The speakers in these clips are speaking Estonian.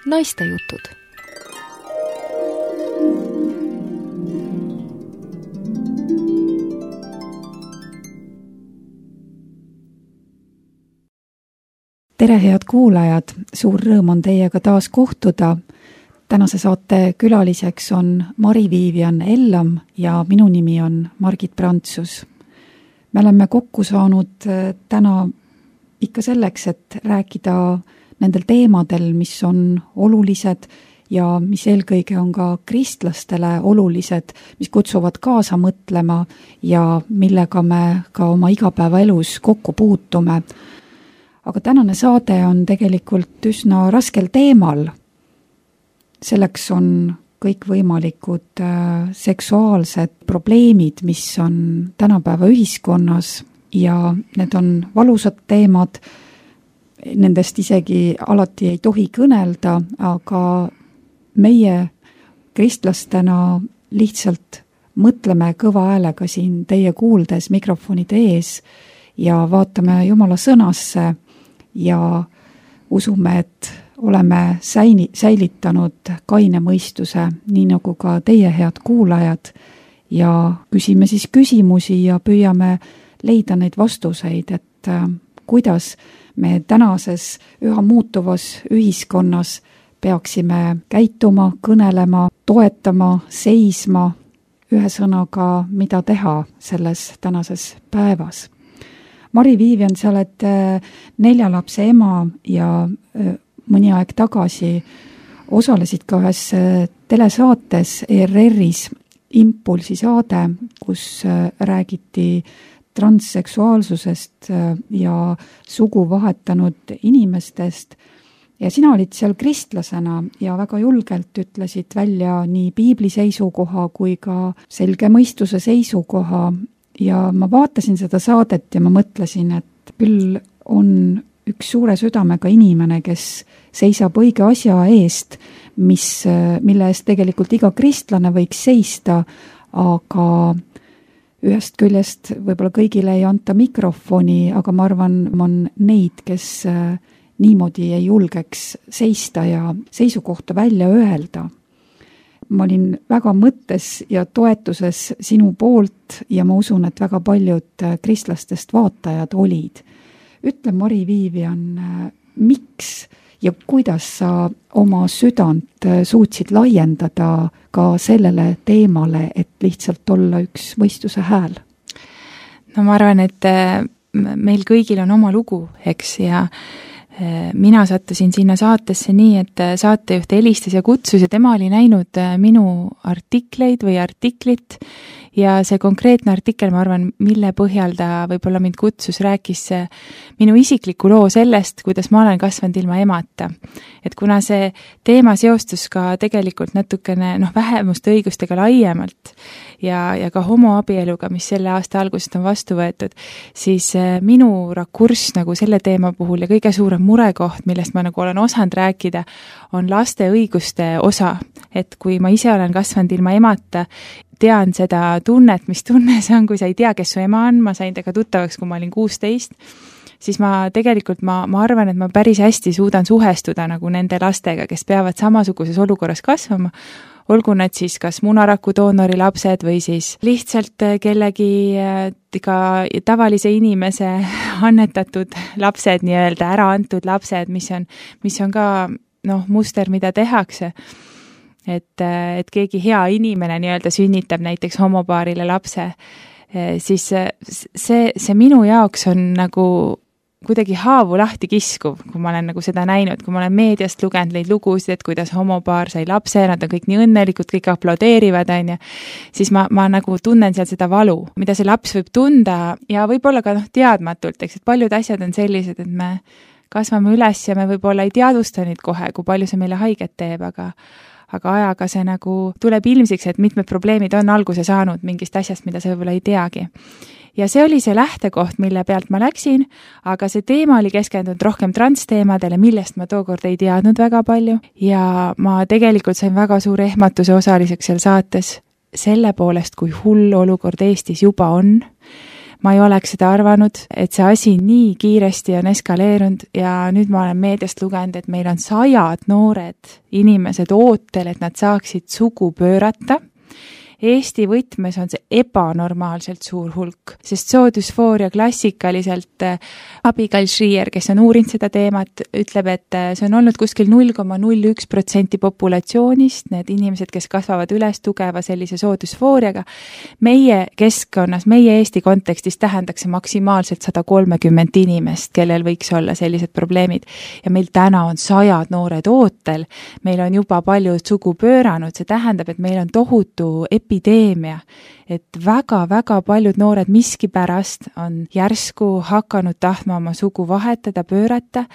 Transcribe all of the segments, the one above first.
Naistejutud. Tere, head kuulajad! Suur rõõm on teiega taas kohtuda. Tänase saate külaliseks on Mari-Viivian Ellam ja minu nimi on Margit Prantsus. Me oleme kokku saanud täna ikka selleks, et rääkida nendel teemadel, mis on olulised ja mis eelkõige on ka kristlastele olulised, mis kutsuvad kaasa mõtlema ja millega me ka oma igapäevaelus kokku puutume. Aga tänane saade on tegelikult üsna raskel teemal. Selleks on kõikvõimalikud seksuaalsed probleemid, mis on tänapäeva ühiskonnas ja need on valusad teemad. Nendest isegi alati ei tohi kõnelda, aga meie kristlastena lihtsalt mõtleme kõva häälega siin teie kuuldes mikrofonide ees ja vaatame Jumala sõnasse ja usume, et oleme säilitanud kaine mõistuse, nii nagu ka teie, head kuulajad, ja küsime siis küsimusi ja püüame leida neid vastuseid, et kuidas me tänases üha muutuvas ühiskonnas peaksime käituma, kõnelema, toetama, seisma, ühesõnaga, mida teha selles tänases päevas. Mari-Viivian, sa oled 4 lapse ema ja mõni aeg tagasi osalesid ka ühes telesaates ERR-is Impulsi saade, kus räägiti transseksuaalsusest ja sugu vahetanud inimestest. Ja sina olid seal kristlasena ja väga julgelt ütlesid välja nii piibli seisukoha kui ka selge mõistuse seisukoha. Ja ma vaatasin seda saadet ja ma mõtlesin, et küll on üks suure südamega inimene, kes seisab õige asja eest, mille eest tegelikult iga kristlane võiks seista, aga ühest küljest võib-olla kõigile ei anta mikrofoni, aga ma arvan, on neid, kes niimoodi ei julgeks seista ja seisukohta välja öelda. Ma olin väga mõttes ja toetuses sinu poolt ja ma usun, et väga paljud kristlastest vaatajad olid. Ütle, Mari-Viivian, miks ja kuidas sa oma südant suutsid laiendada ka sellele teemale, et lihtsalt olla üks mõistuse hääl? No ma arvan, et meil kõigil on oma lugu, eks, ja mina sattusin sinna saatesse nii, et saatejuht helistas ja kutsus ja tema oli näinud minu artikleid või artiklit ja see konkreetne artikkel, ma arvan, mille põhjal ta võib-olla mind kutsus, rääkis minu isikliku loo sellest, kuidas ma olen kasvanud ilma emata. Et kuna see teema seostus ka tegelikult natukene vähemuste õigustega laiemalt ja ka homoabieluga, mis selle aasta algusest on vastu võetud, siis minu rakurss nagu selle teema puhul ja kõige suurem murekoht, millest ma nagu olen osanud rääkida, on laste õiguste osa. Et kui ma ise olen kasvanud ilma emata, tean seda tunnet, mis tunne see on, kui sa ei tea, kes su ema on, ma sain temaga tuttavaks, kui ma olin 16, siis ma arvan, et ma päris hästi suudan suhestuda nagu nende lastega, kes peavad samasuguses olukorras kasvama, olgu nad siis kas munaraku doonori lapsed või siis lihtsalt kellegi ka tavalise inimese annetatud lapsed, nii-öelda ära antud lapsed, mis on ka muster, mida tehakse. Et keegi hea inimene nii-öelda sünnitab näiteks homopaarile lapse, siis see minu jaoks on nagu kuidagi haavu lahti kiskuv, kui ma olen nagu seda näinud, kui ma olen meediast lugenud neid lugusid, et kuidas homopaar sai lapse, nad on kõik nii õnnelikud, kõik aplodeerivad, siis ma nagu tunnen seal seda valu, mida see laps võib tunda ja võib-olla ka teadmatult, eks, et paljud asjad on sellised, et me kasvame üles ja me võib-olla ei teadusta neid kohe, kui palju see meile haiget teeb, aga ajaga see nagu tuleb ilmsiks, et mitmed probleemid on alguse saanud mingist asjast, mida sa võib-olla ei teagi. Ja see oli see lähtekoht, mille pealt ma läksin, aga see teema oli keskendunud rohkem transteemadele, millest ma tookord ei teadnud väga palju ja ma tegelikult sain väga suure ehmatuse osaliseks seal saates selle poolest, kui hull olukord Eestis juba on. ma ei oleks seda arvanud, et see asi nii kiiresti on eskaleerunud ja nüüd ma olen meediast lugenud, et meil on 100 noored inimesed ootel, et nad saaksid sugu pöörata. Eesti võtmes on see ebanormaalselt suur hulk, sest soodüsfooria klassikaliselt Abigail Shrier, kes on uurinud seda teemat, ütleb, et see on olnud kuskil 0,01% populatsioonist, need inimesed, kes kasvavad üles tugeva sellise soodüsfooriaga. Meie keskkonnas, meie Eesti kontekstis tähendaks see maksimaalselt 130 inimest, kellel võiks olla sellised probleemid. Ja meil täna on 100 noored ootel, meil on juba paljud sugu pööranud, see tähendab, et meil on tohutu epideemia, et väga-väga paljud noored miskipärast on järsku hakanud tahtma oma sugu vahetada, pöörata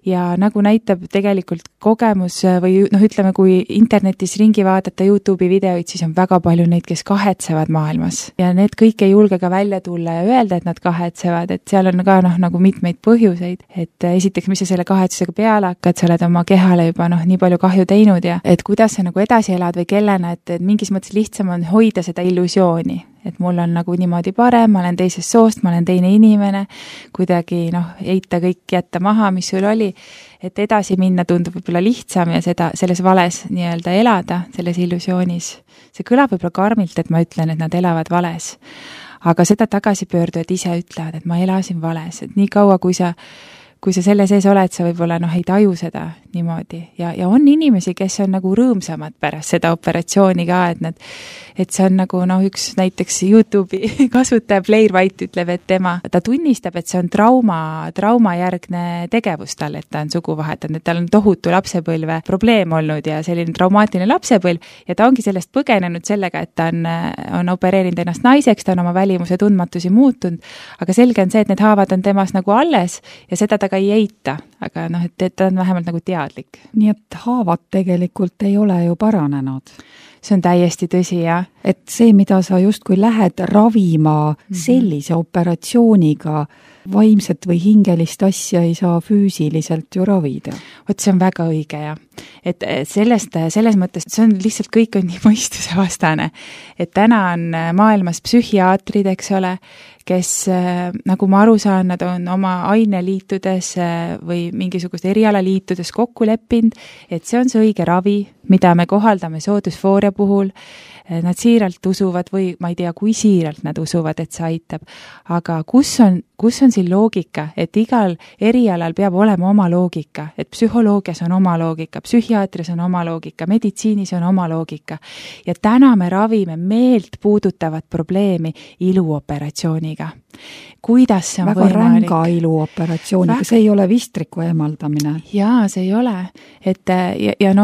ja nagu näitab tegelikult kogemus või ütleme, kui internetis ringi vaadata YouTube'i videoid, siis on väga palju neid, kes kahetsevad maailmas ja need kõik ei julge ka välja tulla ja öelda, et nad kahetsevad, et seal on ka nagu mitmeid põhjuseid, et esiteks, mis sa selle kahetsusega peale hakkad, sa oled oma kehale juba nii palju kahju teinud ja et kuidas sa nagu edasi elad või kellena, et mingis mõttes lihtsam on hoida seda illusiooni, et mul on nagu niimoodi parem, ma olen teisest soost, ma olen teine inimene, kuidagi heita kõik, jätta maha, mis sul oli, et edasi minna tundub võib-olla lihtsam ja selles vales nii-öelda elada, selles illusioonis. See kõlab võib-olla karmilt, et ma ütlen, et nad elavad vales, aga seda tagasipöördujad ise ütlevad, et ma elasin vales, et nii kaua, kui sa selle sees oled, sa võib-olla ei taju seda niimoodi ja on inimesi, kes on nagu rõõmsamad pärast seda operatsiooni ka, et see on nagu üks näiteks YouTube'i kasutaja Blair White ütleb, et ta tunnistab, et see on traumajärgne tegevus tal, et ta on sugu vahetanud, et tal on tohutu lapsepõlve probleem olnud ja selline traumaatiline lapsepõlv ja ta ongi sellest põgenenud sellega, et ta on opereerinud ennast naiseks, ta on oma välimuse tundmatusi muutunud, aga selge on see, et need haavad on temas nagu alles ja seda ta ka ei eita, aga et ta on vähemalt nagu teadlik. Nii et haavad tegelikult ei ole ju paranenud. See on täiesti tõsi, jah. Et see, mida sa justkui lähed ravima sellise operatsiooniga, vaimset või hingelist asja ei saa füüsiliselt ju ravida. Vot see on väga õige, jah. Et selles mõttes, see on lihtsalt kõik on nii mõistuse vastane. Et täna on maailmas psühhiaatrid, eks ole, kes, nagu ma aru saan, nad on oma aineliitudes või mingisugust erialaliitudes kokku leppinud, et see on see õige ravi, mida me kohaldame soodüsfooria puhul. Nad siiralt usuvad või ma ei tea, kui siiralt nad usuvad, et see aitab. Aga kus on siin loogika, et igal erialal peab olema oma loogika, et psühholoogias on oma loogika, psühhiaatrias on oma loogika, meditsiinis on oma loogika. Ja täna me ravime meelt puudutavat probleemi iluoperatsiooniga. Kuidas see on väga võimalik? Väga ränga iluoperatsiooniga, see ei ole vistriku eemaldamine. Jaa, see ei ole.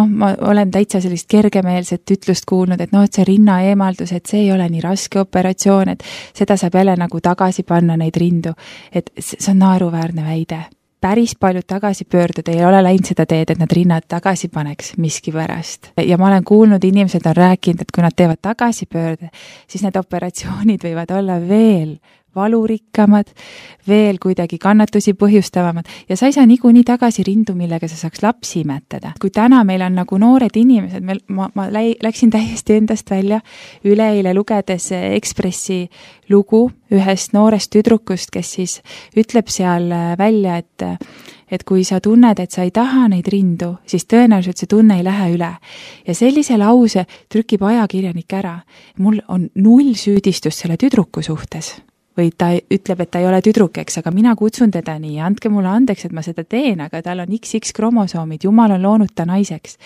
Ma olen täitsa sellist kergemeelset ütlust kuulnud, et et see rinna eemaldus, et see ei ole nii raske operatsioon, et seda saab jälle nagu tagasi panna neid rindu. Et see on naeruväärne väide. Päris paljud tagasipöördud ei ole läinud seda teed, et nad rinnad tagasi paneks miski pärast. Ja ma olen kuulnud, inimesed on rääkinud, et kui nad teevad tagasipöörde, siis need operatsioonid võivad olla veel valurikkamad, veel kuidagi kannatusi põhjustavamad ja sa ei saa niikuinii tagasi rindu, millega sa saaks lapsi imetada. Kui täna meil on nagu noored inimesed, ma läksin täiesti endast välja üleeile lugedes Ekspressi lugu ühest noorest tüdrukust, kes siis ütleb seal välja, et kui sa tunned, et sa ei taha neid rindu, siis tõenäoliselt see tunne ei lähe üle. Ja sellise lause trükib ajakirjanik ära. Mul on 0 süüdistust selle tüdruku suhtes. Või ta ütleb, et ta ei ole tüdruk, eks, aga mina kutsun teda nii, andke mulle andeks, et ma seda teen, aga tal on XX kromosoomid, jumal on loonud ta naiseks.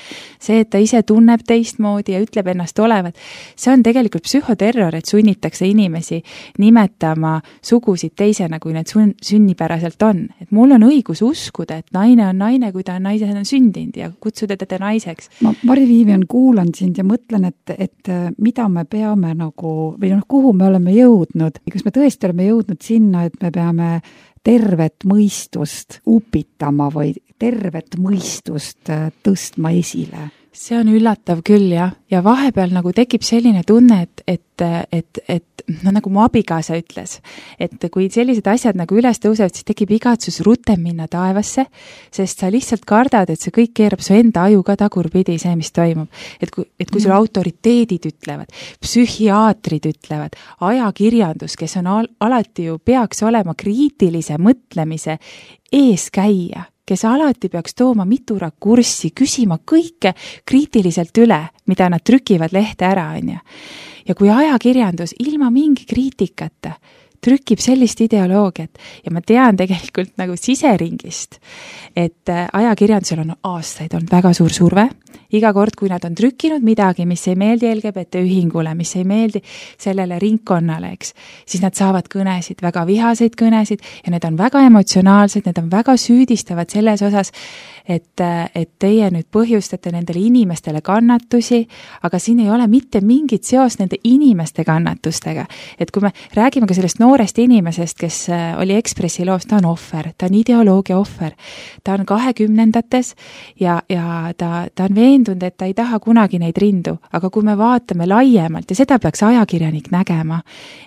See, et ta ise tunneb teistmoodi ja ütleb ennast olevat, see on tegelikult psühhoterror, et sunnitakse inimesi nimetama sugusid teisena, kui need sünnipäraselt on. Et mul on õigus uskuda, et naine on naine, kui ta on naisena sündinud ja kutsuda teda naiseks. Ma, Mari-Viivian, kuulan sind ja mõtlen, et mida me peame nagu, või kuhu me oleme jõudnud, kas me tõesti oleme jõudnud sinna, et me peame tervet mõistust upitama või tervet mõistust tõstma esile. see on üllatav küll, jah. Ja vahepeal nagu tekib selline tunne, et no nagu mu abikaasa ütles, et kui sellised asjad nagu üles tõusevad, siis tekib igatsus rutem minna taevasse, sest sa lihtsalt kardad, et see kõik keerab su enda aju ka tagurpidi, see, mis toimub. Et kui sul autoriteedid ütlevad, psühhiaatrid ütlevad, ajakirjandus, kes on alati ju peaks olema kriitilise mõtlemise eeskäija, kes alati peaks tooma mitu rakurssi, küsima kõike kriitiliselt üle, mida nad trükivad lehte ära, on ju. Ja kui ajakirjandus ilma mingi kriitikata trükib sellist ideoloogiat ja ma tean tegelikult nagu siseringist, et ajakirjandusel on aastaid olnud väga suur surve. Iga kord, kui nad on trükkinud midagi, mis ei meeldi LGBT ühingule, mis ei meeldi sellele ringkonnale, eks, siis nad saavad kõnesid, väga vihaseid kõnesid ja need on väga emotsionaalsed, need on väga süüdistavad selles osas, et teie nüüd põhjustate nendele inimestele kannatusi, aga siin ei ole mitte mingit seos nende inimeste kannatustega. Et kui me räägime ka sellest noorest inimesest, kes oli Ekspressi loos, ta on ohver, ta on ideoloogia ohver, ta on 20-ndates ja ta on veendunud, et ta ei taha kunagi neid rindu, aga kui me vaatame laiemalt ja seda peaks ajakirjanik nägema,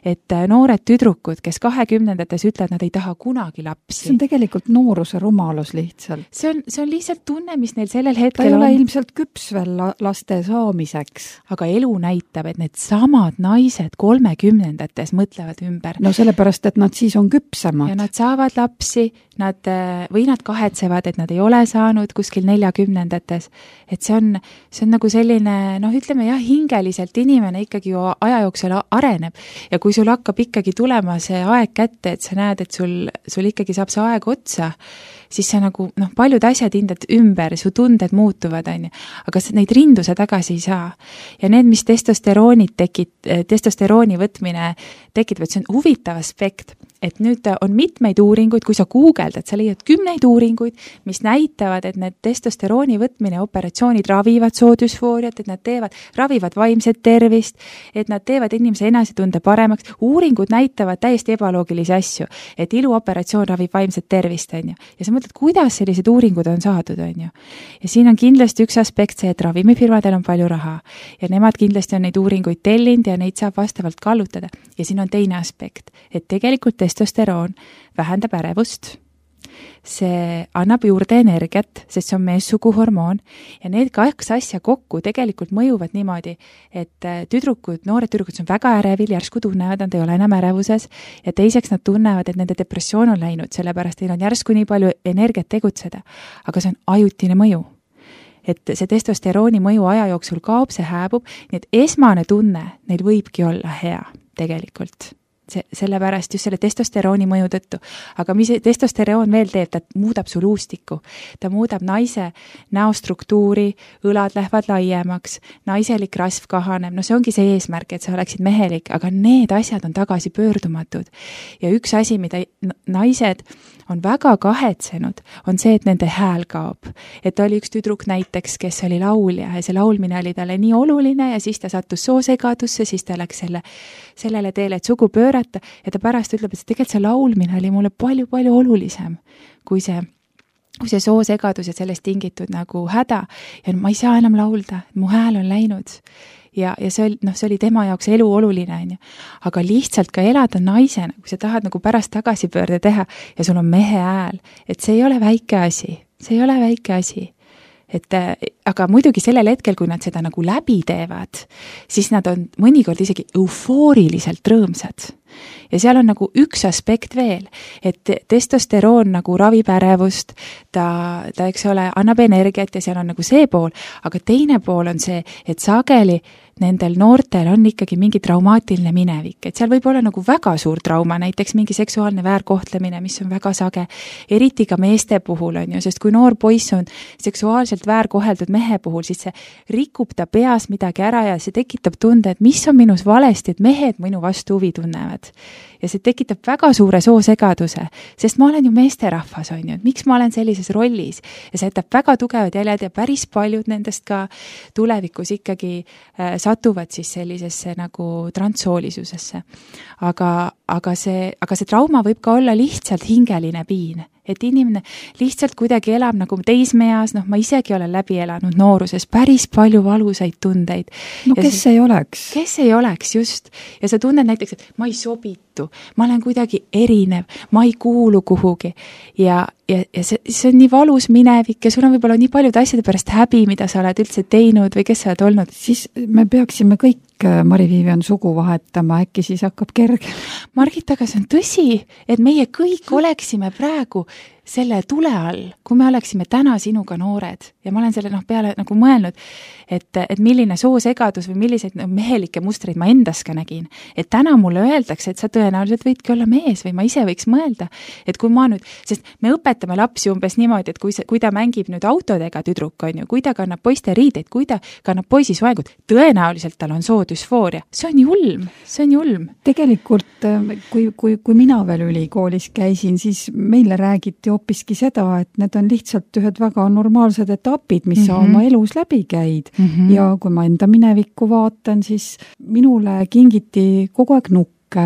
et noored tüdrukud, kes 20-ndates ütlevad, nad ei taha kunagi lapsi. See on tegelikult nooruse rumalus lihtsalt. See on lihtsalt tunne, mis neil sellel hetkel ta ei ole ilmselt küps veel laste saamiseks. Aga elu näitab, et need samad naised 30-ndates mõtlevad ümber. No sellepärast, et nad siis on küpsemad. Ja nad saavad lapsi, nad kahetsevad, et nad ei ole saanud kuskil 40-ndates. Et see on nagu selline, ütleme jah, hingeliselt inimene ikkagi ju aja jooksul areneb. Ja kui sul hakkab ikkagi tulema see aeg kätte, et sa näed, et sul ikkagi saab see aeg otsa, siis sa nagu, paljud asjad hindad ümber, su tunded muutuvad, on ju. Aga neid rindu sa tagasi ei saa. Ja need, mis testosterooni võtmine tekitab, et see on huvitav aspekt, et nüüd on mitmeid uuringuid, kui sa guugeldad, sa leiad 10 uuringuid, mis näitavad, et need testosterooni võtmine operatsioonid ravivad soodüsfooriat, et nad ravivad vaimset tervist, et nad teevad inimese enesetunde paremaks. Uuringud näitavad täiesti ebaloogilisi asju, et iluoperatsioon ravib vaimset tervist, on ju. Ja sa mõtled, kuidas sellised uuringud on saadud, on ju. Ja siin on kindlasti üks aspekt see, et ravimifirmadel on palju raha ja nemad kindlasti on neid uuringuid tellinud ja neid saab vastavalt kallutada. Ja siin on teine aspekt, et tegelikult testosteroon vähendab ärevust, see annab juurde energiat, sest see on meessuguhormoon ja need 2 asja kokku tegelikult mõjuvad niimoodi, et noored tüdrukud on väga ärevil, järsku tunnevad, nad ei ole enam ärevuses ja teiseks nad tunnevad, et nende depressioon on läinud, sellepärast neil on järsku nii palju energiat tegutseda, aga see on ajutine mõju. Et see testosterooni mõju aja jooksul kaob, see hääbub, nii et esmane tunne neil võibki olla hea tegelikult. Sellepärast just selle testosterooni mõju tõttu. Aga mis testosteroon veel teeb, ta muudab su luustikku. Ta muudab naise näostruktuuri, õlad lähevad laiemaks, naiselik rasv kahaneb. See ongi see eesmärk, et sa oleksid mehelik, aga need asjad on tagasi pöördumatud. Ja üks asi, mida naised on väga kahetsenud, on see, et nende hääl kaob. Et oli üks tüdruk näiteks, kes oli laulja ja see laulmine oli talle nii oluline ja siis ta sattus soosegadusse, siis ta läks sellele teele, et sugu pöörata ja ta pärast ütleb, et tegelikult see laulmine oli mulle palju-palju olulisem kui see soosegadus ja sellest tingitud nagu häda ja ma ei saa enam laulda, mu hääl on läinud. Ja see oli tema jaoks elu oluline, on ju. Aga lihtsalt ka elada naisena, kui sa tahad nagu pärast tagasipöörde teha ja sul on mehe hääl, et see ei ole väike asi. Aga muidugi sellel hetkel, kui nad seda nagu läbi teevad, siis nad on mõnikord isegi eufooriliselt rõõmsad. Ja seal on nagu üks aspekt veel, et testosteroon nagu ravib ärevust, ta eks ole, annab energiat ja seal on nagu see pool, aga teine pool on see, et sageli nendel noortel on ikkagi mingi traumaatiline minevik, et seal võib olla nagu väga suur trauma, näiteks mingi seksuaalne väärkohtlemine, mis on väga sage, eriti ka meeste puhul on ju, sest kui noor poiss on seksuaalselt väärkoheldud mehe puhul, siis see rikub ta peas midagi ära ja see tekitab tunde, et mis on minus valesti, et mehed minu vastu huvi tunnevad. Ja see tekitab väga suure soosegaduse, sest ma olen ju meesterahvas, on ju, et miks ma olen sellises rollis ja see jätab väga tugevad jäljed ja päris paljud nendest ka tulevikus ikkagi satuvad siis sellisesse nagu transsoolisusesse. Aga see trauma võib ka olla lihtsalt hingeline piin, et inimene lihtsalt kuidagi elab nagu teismeeas, noh, ma isegi olen läbi elanud nooruses päris palju valusaid tundeid. No ja kes ei oleks? Kes ei oleks, just. Ja sa tunned näiteks, et ma ei sobitu, ma olen kuidagi erinev, ma ei kuulu kuhugi ja see on nii valus minevik ja sul on võib-olla nii paljude asjade pärast häbi, mida sa oled üldse teinud või kes sa oled olnud. Siis me peaksime kõik Mari-Viivian sugu vahetama, äkki siis hakkab kerge. Margit, aga see on tõsi, et meie kõik oleksime praegu selle tule all, kui me oleksime täna sinuga noored ja ma olen selle peale nagu mõelnud, et milline soosegadus või milliseid mehelikke mustreid ma endas ka nägin. Et täna mulle öeldakse, et sa tõenäoliselt võidki olla mees või ma ise võiks mõelda, et kui ma nüüd, sest me õpetame lapsi umbes niimoodi, et kui ta mängib nüüd autodega tüdruk, on ju, kui ta kannab poiste riideid, kui ta kannab poisi soengut, tõenäoliselt tal on soodüsfooria. See on julm. Tegelikult, kui mina veel ülikoolis käisin, siis meile räägiti hoopiski seda, et need on lihtsalt ühed väga normaalsed etapid, mis sa oma elus läbi käid. Ja kui ma enda minevikku vaatan, siis minule kingiti kogu aeg nukke,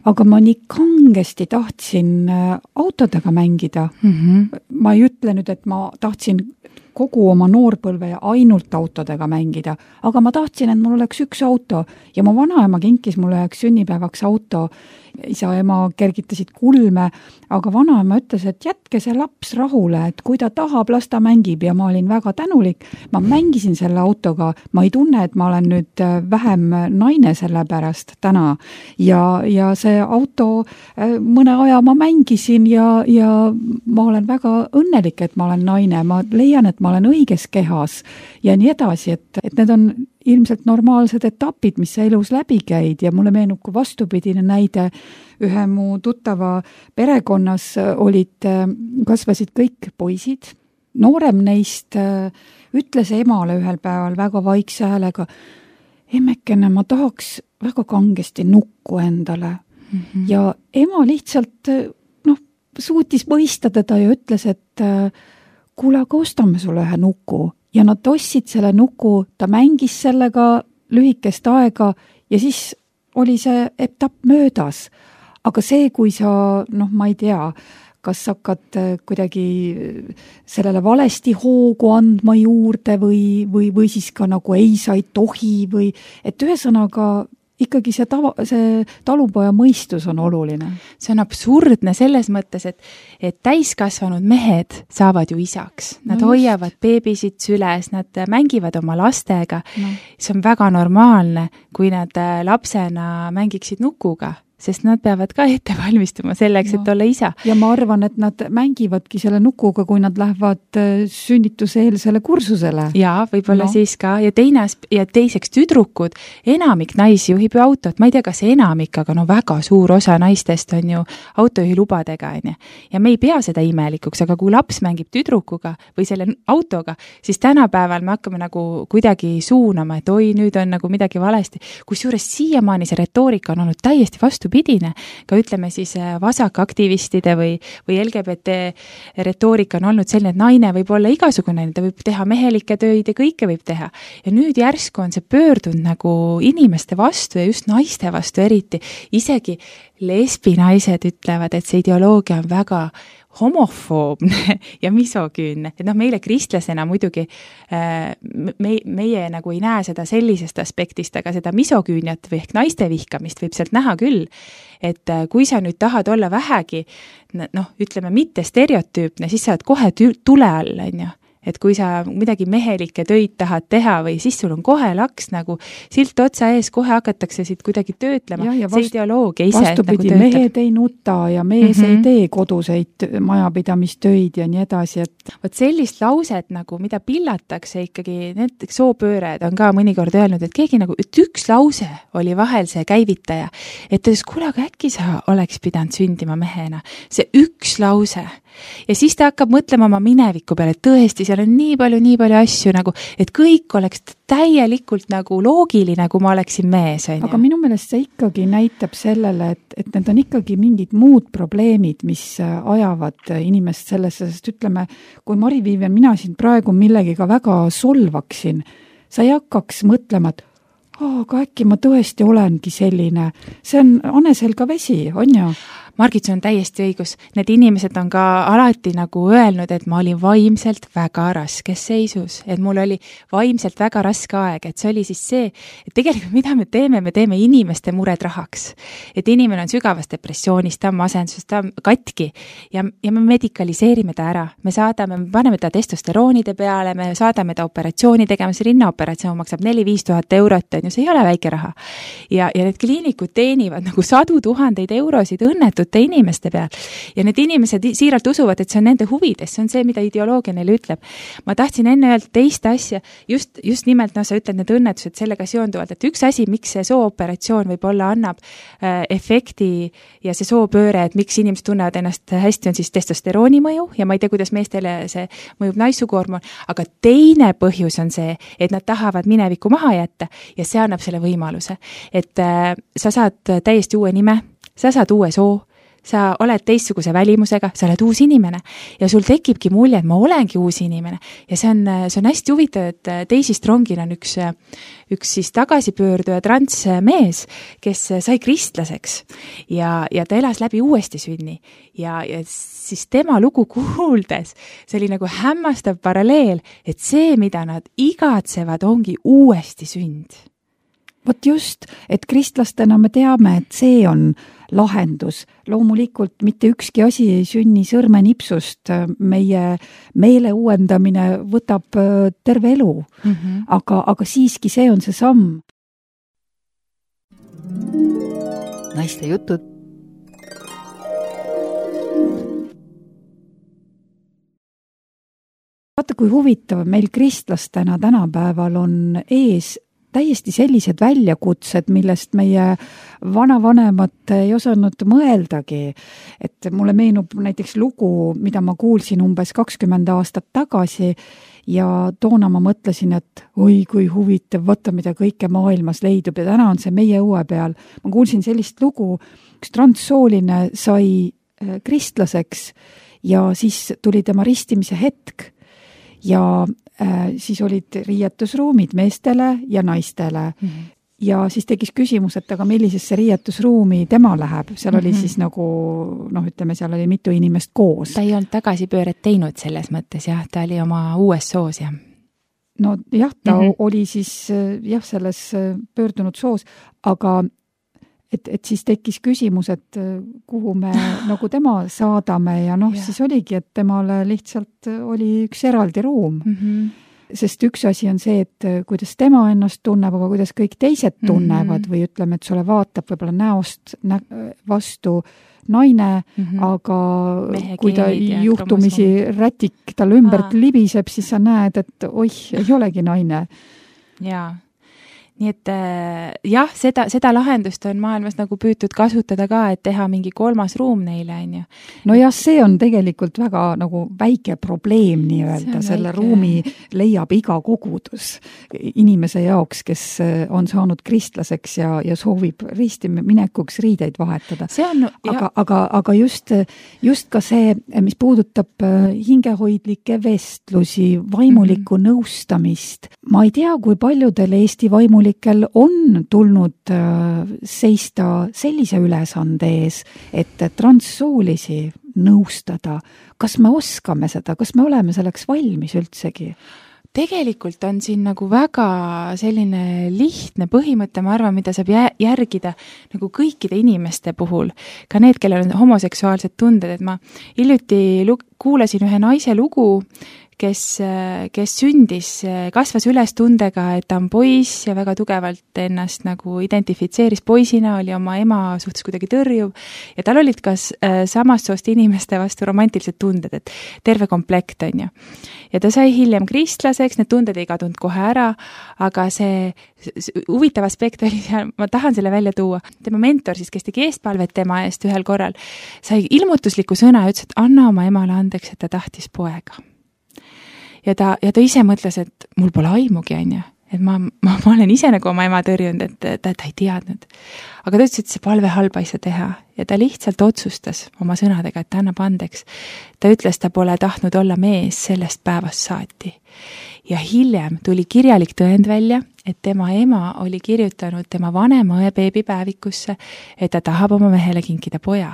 aga ma nii kangesti tahtsin autodega mängida. Ma ei ütle nüüd, et ma tahtsin kogu oma noorpõlve ainult autodega mängida, aga ma tahtsin, et mul oleks üks auto ja mu vanaema kinkis mulle üheks sünnipäevaks auto. Isa ja ema kergitasid kulme, aga vanaema ütles, et jätke see laps rahule, et kui ta tahab, las ta mängib ja ma olin väga tänulik. Ma mängisin selle autoga, ma ei tunne, et ma olen nüüd vähem naine selle pärast täna ja see auto mõne aja ma mängisin ja ma olen väga õnnelik, et ma olen naine, ma leian, et ma olen õiges kehas ja nii edasi, et need on ilmselt normaalsed etapid, mis sa elus läbi käid ja mulle meenub kui vastupidine näide. Ühe mu tuttava perekonnas kasvasid kõik poisid. Noorem neist ütles emale ühel päeval väga vaikse häälega, emmekene, ma tahaks väga kangesti nukku endale. Ja ema lihtsalt suutis mõista teda ja ütles, et kuule, aga ostame sulle ühe nuku. Ja nad ostsid selle nuku, ta mängis sellega lühikest aega ja siis oli see etapp möödas. Aga see, kui sa, ma ei tea, kas hakkad kuidagi sellele valesti hoogu andma juurde või siis ka nagu ei, sa ei tohi või, et ühesõnaga ikkagi see talupoja mõistus on oluline. See on absurdne selles mõttes, et täiskasvanud mehed saavad ju isaks. Nad hoiavad beebisid süles, nad mängivad oma lastega. See on väga normaalne, kui nad lapsena mängiksid nukuga, sest nad peavad ka ette valmistuma selleks, et olla isa. Ja ma arvan, et nad mängivadki selle nukuga, kui nad lähevad sünnituseelsele kursusele. Ja, võib-olla siis ka. Ja teiseks tüdrukud, enamik naisi juhib ju autot. Ma ei tea, kas enamik, aga väga suur osa naistest on ju autojuhilubadega. Ja me ei pea seda imelikuks, aga kui laps mängib tüdrukuga või selle autoga, siis tänapäeval me hakkame nagu kuidagi suunama, et oi, nüüd on nagu midagi valesti. Kusjuures siiamaani see retoorika on olnud täiesti vastupidine, ka ütleme siis vasakaktivistide või LGBT retoorika on olnud selline, et naine võib olla igasugune, ta võib teha mehelikke töid ja kõike võib teha. Ja nüüd järsku on see pöördunud nagu inimeste vastu ja just naiste vastu eriti. Isegi lesbinaised ütlevad, et see ideoloogia on väga homofoobne ja misogüünne. Et meile kristlasena muidugi meie nagu ei näe seda sellisest aspektist, aga seda misogüüniat või ehk naiste vihkamist võib sealt näha küll. Et kui sa nüüd tahad olla vähegi, ütleme mitte stereotüüpne, siis sa oled kohe tule all, on ju. Et kui sa midagi mehelikke töid tahad teha või siis sul on kohe laks nagu silt otsa ees, kohe hakatakse siit kuidagi töötlema. See ideoloogia ise vastupidi, nagu mehed ei nuta ja mees ei tee koduseid majapidamistöid ja nii edasi. Võt sellist lauset, nagu, mida pillatakse ikkagi, need soopööred on ka mõnikord öelnud, et keegi nagu, et üks lause oli vahel see käivitaja, et kuule, aga äkki sa oleks pidanud sündima mehena. See üks lause. Ja siis ta hakkab mõtlema oma mineviku peale, et tõesti, seal on nii palju asju nagu, et kõik oleks täielikult nagu loogiline, kui ma oleksin mees. Aga minu meelest see ikkagi näitab sellele, et need on ikkagi mingid muud probleemid, mis ajavad inimest sellesse, sest ütleme, kui Mari-Viivian, mina siin praegu millegiga väga solvaksin, sa ei hakkaks mõtlema, et aga äkki ma tõesti olengi selline. See on Anesel ka vesi, on ju? Margit, sul on täiesti õigus. Need inimesed on ka alati nagu öelnud, et ma olin vaimselt väga raskes seisus, et mul oli vaimselt väga raske aeg, et see oli siis see, et tegelikult mida me teeme inimeste mured rahaks. Et inimene on sügavas depressioonis, ta on masenduses, ta on katki ja me medikaliseerime ta ära. Me paneme ta testosteroonide peale, me saadame ta operatsiooni tegema, see rinnaoperatsioon maksab 4-5 tuhat eurot, on ju, see ei ole väike raha. Ja need kliinikud teenivad nagu 100 000 eurosid õnnetute inimeste peal. Ja need inimesed siiralt usuvad, et see on nende huvides, see on see, mida ideoloogia neile ütleb. Ma tahtsin enne öelda teist asja, just nimelt, sa ütled need õnnetused sellega seonduvalt, et üks asi, miks see sooperatsioon võib-olla annab efekti ja see soopööre, et miks inimesed tunnevad ennast hästi, on siis testosterooni mõju ja ma ei tea, kuidas meestele see mõjub naissuguhormoon, aga teine põhjus on see, et nad tahavad minevikku maha jätta ja see annab selle võimaluse, et sa saad täiesti uue nime, sa saad uue soo, sa oled teistsuguse välimusega, sa oled uus inimene ja sul tekibki mulje, et ma olengi uus inimene ja see on hästi huvitav, et Daisy Strongil on üks siis tagasipöörduja transmees, kes sai kristlaseks ja ta elas läbi uuesti sünni ja siis tema lugu kuuldes, see oli nagu hämmastav paralleel, et see, mida nad igatsevad, ongi uuesti sünd. Vot just, et kristlastena me teame, et see on lahendus. Loomulikult mitte ükski asi ei sünni sõrmenipsust. Meie meele uuendamine võtab terve elu. Aga siiski see on see samm. Naiste jutud. Vaata, kui huvitav, meil kristlastena tänapäeval on ees täiesti sellised väljakutsed, millest meie vanavanemad ei osanud mõeldagi. Et mulle meenub näiteks lugu, mida ma kuulsin umbes 20 aastat tagasi ja toona ma mõtlesin, et oi, kui huvitav, vaata, mida kõike maailmas leidub ja täna on see meie õue peal. Ma kuulsin sellist lugu, üks transsooline sai kristlaseks ja siis tuli tema ristimise hetk ja siis olid riietusruumid meestele ja naistele. Ja siis tekkis küsimus, et aga millisesse riietusruumi tema läheb. Seal oli siis nagu, ütleme, seal oli mitu inimest koos. Ta ei olnud tagasipööret teinud selles mõttes, jah, ta oli oma uues soos, jah. No jah, ta oli siis selles pöördunud soos, aga et siis tekkis küsimus, et kuhu me nagu tema saadame ja siis oligi, et temale lihtsalt oli üks eraldi ruum. Sest üks asi on see, et kuidas tema ennast tunneb, aga kuidas kõik teised tunnevad või ütleme, et sulle vaatab võib-olla näost vastu naine, aga kui ta juhtumisi rätik tal ümbert libiseb, siis sa näed, et oih, ei olegi naine. Jaa. Nii et jah, seda lahendust on maailmas nagu püütud kasutada ka, et teha mingi 3. ruum neile, on ju. No jah, see on tegelikult väga nagu väike probleem nii-öelda, selle ruumi leiab iga kogudus inimese jaoks, kes on saanud kristlaseks ja soovib ristiminekuks riideid vahetada. Aga just ka see, mis puudutab hingehoidlikke vestlusi, vaimulikku nõustamist. Ma ei tea, kui paljudel Eesti vaimulikel on tulnud seista sellise ülesande ees, et transsoolisi nõustada. Kas me oskame seda? Kas me oleme selleks valmis üldsegi? Tegelikult on siin nagu väga selline lihtne põhimõte, ma arvan, mida saab järgida nagu kõikide inimeste puhul, ka need, kellel on homoseksuaalsed tunded, et ma hiljuti kuulasin ühe naise lugu, kes sündis, kasvas üles tundega, et ta on poiss ja väga tugevalt ennast nagu identifitseeris poisina, oli oma ema suhtes kuidagi tõrjuv ja tal olid ka samast soost inimeste vastu romantilised tunded, et terve komplekt on ju. Ja ta sai hiljem kristlaseks, need tunded ei kadunud kohe ära, aga see huvitav aspekt oli seal, ma tahan selle välja tuua. Tema mentor siis, kes tegi eestpalvet tema eest ühel korral, sai ilmutusliku sõna ja ütles, et anna oma emale andeks, et ta tahtis poega. Ja ta ise mõtles, et mul pole aimugi, on ju, et ma olen ise nagu oma ema tõrjunud, et ta ei teadnud. Aga ta ütles, et see palve halba ei saa teha ja ta lihtsalt otsustas oma sõnadega, et ta annab andeks. Ta ütles, ta pole tahtnud olla mees sellest päevast saati. Ja hiljem tuli kirjalik tõend välja, et tema ema oli kirjutanud tema vanema õe beebipäevikusse, et ta tahab oma mehele kinkida poja.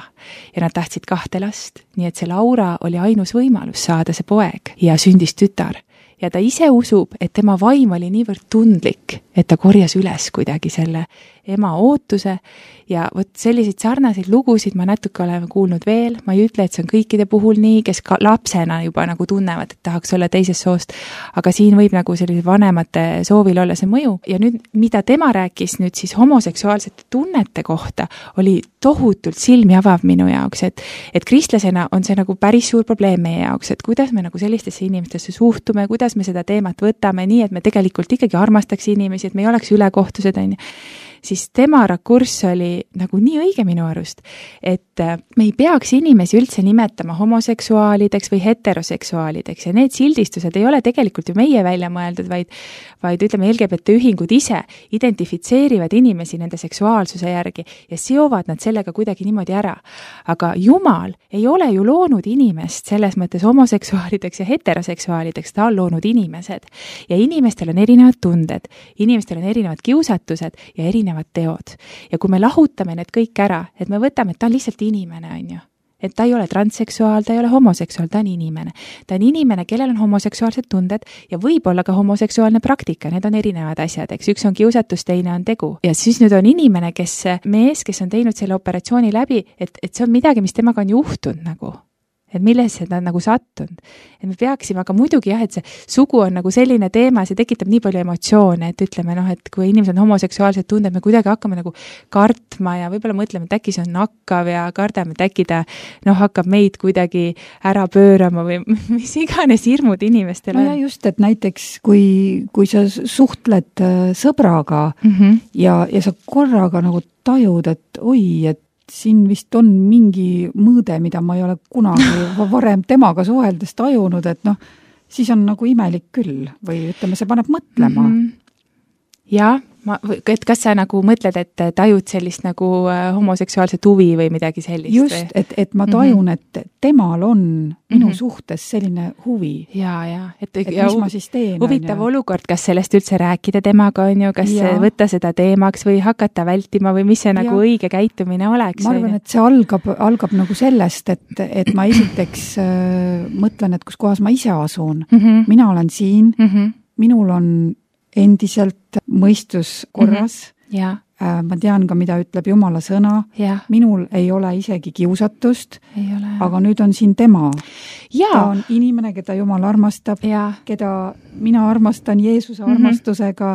Ja nad tahtsid 2 last, nii et see Laura oli ainus võimalus saada see poeg ja sündis tütar. Ja ta ise usub, et tema vaim oli niivõrd tundlik, et ta korjas üles kuidagi selle ema ootuse ja vot selliseid sarnaseid lugusid ma natuke oleme kuulnud veel, ma ei ütle, et see on kõikide puhul nii, kes ka lapsena juba nagu tunnevad, et tahaks olla teisest soost, aga siin võib nagu sellise vanemate soovil olla see mõju ja nüüd, mida tema rääkis nüüd siis homoseksuaalsete tunnete kohta, oli tohutult silmi avav minu jaoks, et kristlasena on see nagu päris suur probleem meie jaoks, et kuidas me nagu sellistesse inimestesse suhtume, kuidas me seda teemat võtame nii, et me tegelikult ikkagi armastaks inimesi, et me ei oleks ülekohtused, on ju. Siis tema rakurss oli nagu nii õige minu arust, et me ei peaks inimesi üldse nimetama homoseksuaalideks või heteroseksuaalideks ja need sildistused ei ole tegelikult ju meie välja mõeldud, vaid ütleme, LGBT ühingud ise identifitseerivad inimesi nende seksuaalsuse järgi ja seovad nad sellega kuidagi niimoodi ära. Aga Jumal ei ole ju loonud inimest selles mõttes homoseksuaalideks ja heteroseksuaalideks, ta on loonud inimesed ja inimestel on erinevad tunded, inimestel on erinevad kiusatused ja erinevad teod. Ja kui me lahutame need kõik ära, et me võtame, et ta on lihtsalt inimene, on ju. Et ta ei ole transseksuaal, ta ei ole homoseksuaal, ta on inimene. Ta on inimene, kellel on homoseksuaalsed tunded ja võib-olla ka homoseksuaalne praktika, need on erinevad asjad, eks üks on kiusatus, teine on tegu. Ja siis nüüd on inimene, mees, kes on teinud selle operatsiooni läbi, et see on midagi, mis temaga on juhtunud nagu. Et millesse ta on nagu sattunud. Et me peaksime, aga muidugi jah, et see sugu on nagu selline teema, see tekitab nii palju emotsioone, et ütleme et kui inimesed on homoseksuaalsed tunded, me kuidagi hakkame nagu kartma ja võib-olla mõtleme, et äkki see on nakkav ja kardame, et äkki ta hakkab meid kuidagi ära pöörama või mis iganes hirmud inimestel on. No ja just, et näiteks kui sa suhtled sõbraga ja sa korraga nagu tajud, et oi, et siin vist on mingi mõõde, mida ma ei ole kunagi varem temaga suheldes tajunud, et siis on nagu imelik küll või ütleme, see paneb mõtlema. Ja, et kas sa nagu mõtled, et tajud sellist nagu homoseksuaalset huvi või midagi sellist? Just, et ma tajun, et temal on minu suhtes selline huvi. Ja. Et mis ma siis teen? Huvitav olukord, kas sellest üldse rääkida temaga on ju, kas võtta seda teemaks või hakata vältima või mis see nagu õige käitumine oleks? Ma arvan, et see algab nagu sellest, et ma esiteks mõtlen, et kus kohas ma ise asun. Mina olen siin, minul on endiselt mõistus korras. Ma tean ka, mida ütleb Jumala sõna. Minul ei ole isegi kiusatust, aga nüüd on siin tema. Ta on inimene, keda Jumal armastab, keda mina armastan Jeesuse armastusega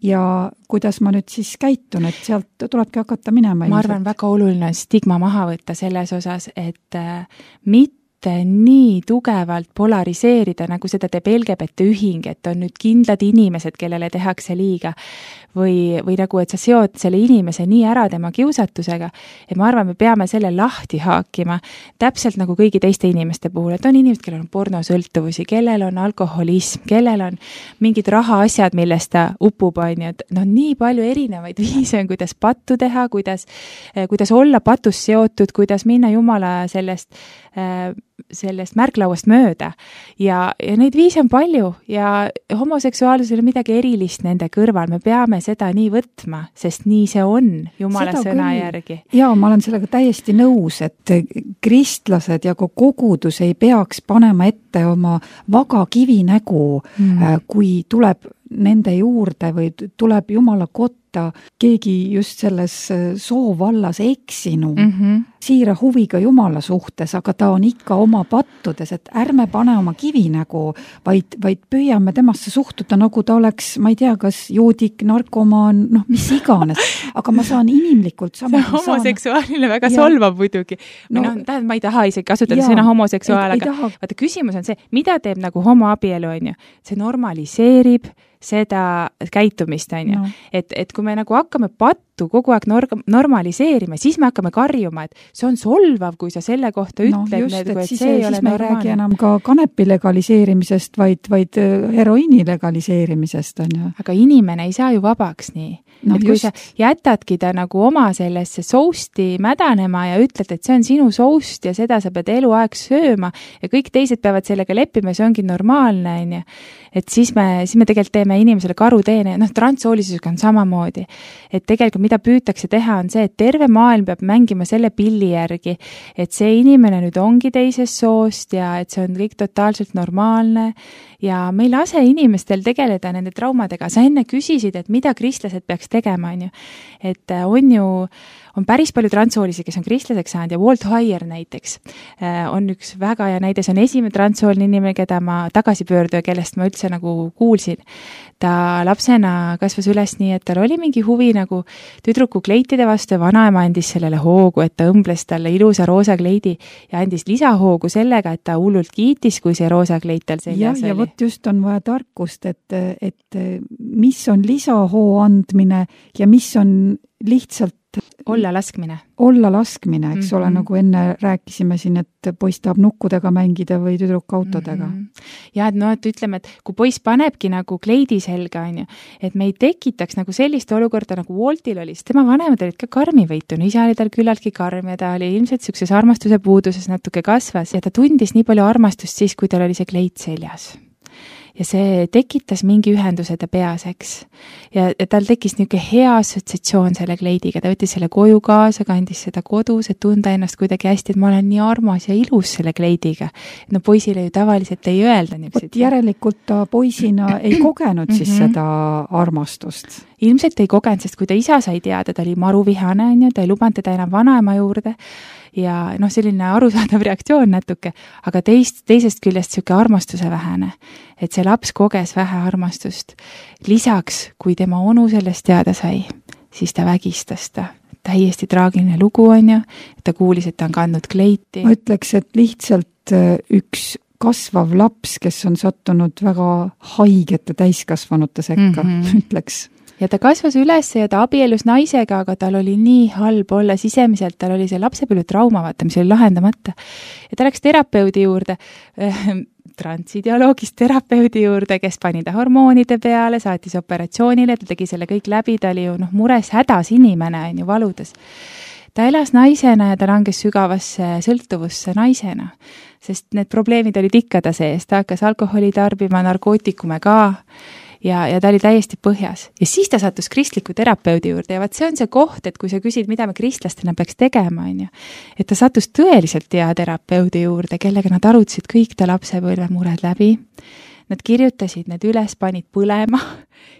ja kuidas ma nüüd siis käitun, et sealt tulebki hakata minema. Ma arvan, väga oluline on stigma maha võtta selles osas, et mitte nii tugevalt polariseerida, nagu seda teeb LGBT ühing, et on nüüd kindlad inimesed, kellele tehakse liiga või nagu, et sa seod selle inimese nii ära tema kiusatusega, et ma arvan, me peame selle lahti haakima täpselt nagu kõigi teiste inimeste puhul, et on inimesed, kellel on pornosõltuvusi, kellel on alkoholism, kellel on mingid rahaasjad, millest ta upub, on ju, et nii palju erinevaid viise on, kuidas pattu teha, kuidas olla patus seotud, kuidas minna Jumala sellest märklauast mööda ja neid viise on palju ja homoseksuaalsusel on midagi erilist nende kõrval, me peame seda nii võtma, sest nii see on Jumala sõna järgi. Ja ma olen sellega täiesti nõus, et kristlased ja kogudus ei peaks panema ette oma vaga kivinägu, kui tuleb nende juurde või tuleb Jumala kotta keegi just selles soovallas eksinud, siira huviga Jumala suhtes, aga ta on ikka oma pattudes, et ärme pane oma kivinägu, vaid püüame temasse suhtuda, nagu ta oleks, ma ei tea, kas joodik, narkomaan, mis iganes, aga ma saan inimlikult sama. See homoseksuaalile väga solvab muidugi. Ma ei taha isegi kasutada sõna homoseksuaal, aga vaata, küsimus on see, mida teeb nagu homoabielu, on ju? See normaliseerib seda käitumist, on ju. Et kui me nagu hakkame juttu kogu aeg normaliseerime, siis me hakkame karjuma, et see on solvav, kui sa selle kohta ütled, et siis ei räägi enam ka kanepi legaliseerimisest, vaid heroiini legaliseerimisest, on ju. Aga inimene ei saa ju vabaks nii. Et kui sa jätadki ta nagu oma sellesse sousti mädanema ja ütled, et see on sinu soust ja seda sa pead eluaeg sööma ja kõik teised peavad sellega leppima ja see ongi normaalne, on ju. Et siis me tegelikult teeme inimesele karuteene, transsoolisusega on samamoodi. Et tegelikult mida püütakse teha on see, et terve maailm peab mängima selle pilli järgi, et see inimene nüüd ongi teisest soost ja et see on kõik totaalselt normaalne ja me ei lase inimestel tegeleda nende traumadega. Sa enne küsisid, et mida kristlased peaks tegema, on ju. Et on päris palju transsoolisi, kes on kristlaseks saanud ja Walt Heyer näiteks on üks väga hea näide, see on esimene transsooline inimene, keda ma tagasipöörduja, kellest ma üldse nagu kuulsin. Ta lapsena kasvas üles nii, et tal oli mingi huvi nagu tüdruku kleitide vastu ja vanaema andis sellele hoogu, et ta õmbles talle ilusa roosa kleidi ja andis lisahoogu sellega, et ta hullult kiitis, kui see roosa kleit tal seljas oli. Ja vot just on vaja tarkust, et mis on lisahoo andmine ja mis on lihtsalt olla laskmine, eks ole, nagu enne rääkisime siin, et poiss tahab nukkudega mängida või tüdruk autodega. Ja et ütleme, et kui poiss panebki nagu kleidi selga, on ju, et me ei tekitaks nagu sellist olukorda, nagu Waltil oli, sest tema vanemad olid ka karmivõitun, isa oli tal küllaltki karm ja ta oli ilmselt sellises armastuse puuduses natuke kasvas ja ta tundis nii palju armastust siis, kui tal oli see kleit seljas. Ja see tekitas mingi ühenduse ta peas, eks. Ja tal tekkis niisugune hea assotsiatsioon selle kleidiga, ta võttis selle koju kaasa, kandis seda kodus, et tunda ennast kuidagi hästi, et ma olen nii armas ja ilus selle kleidiga. No poisile ju tavaliselt ei öelda niisugused. Järelikult ta poisina ei kogenud siis seda armastust. Ilmselt ei kogenud, sest kui ta isa sai teada, ta oli maruvihane, on ju, ta ei lubanud teda enam vanaema juurde ja selline arusaadav reaktsioon natuke, aga teisest küljest niisugune armastuse vähene, et see laps koges vähe armastust. Lisaks, kui tema onu sellest teada sai, siis ta vägistas ta. Täiesti traagiline lugu, on ju, et ta kuulis, et ta on kandnud kleiti. Ma ütleks, et lihtsalt üks kasvav laps, kes on sattunud väga haigete täiskasvanute sekka, ütleks. Ja ta kasvas üles ja ta abielus naisega, aga tal oli nii halb olla sisemiselt, tal oli see lapsepõlve trauma, vaata, mis oli lahendamata. Ja ta läks terapeudi juurde, transideoloogist terapeudi juurde, kes pani ta hormoonide peale, saatis operatsioonile, ta tegi selle kõik läbi, ta oli ju mures hädas inimene, on ju, valudes. Ta elas naisena ja ta langes sügavasse sõltuvusse naisena, sest need probleemid olid ikka ta sees, ta hakkas alkoholi tarbima, narkootikume ka, ja ta oli täiesti põhjas. Ja siis ta sattus kristliku terapeudi juurde ja vaat see on see koht, et kui sa küsid, mida me kristlastena peaks tegema, on ju, et ta sattus tõeliselt hea terapeudi juurde, kellega nad arutasid kõik ta lapsepõlve mured läbi. Nad kirjutasid need üles, panid põlema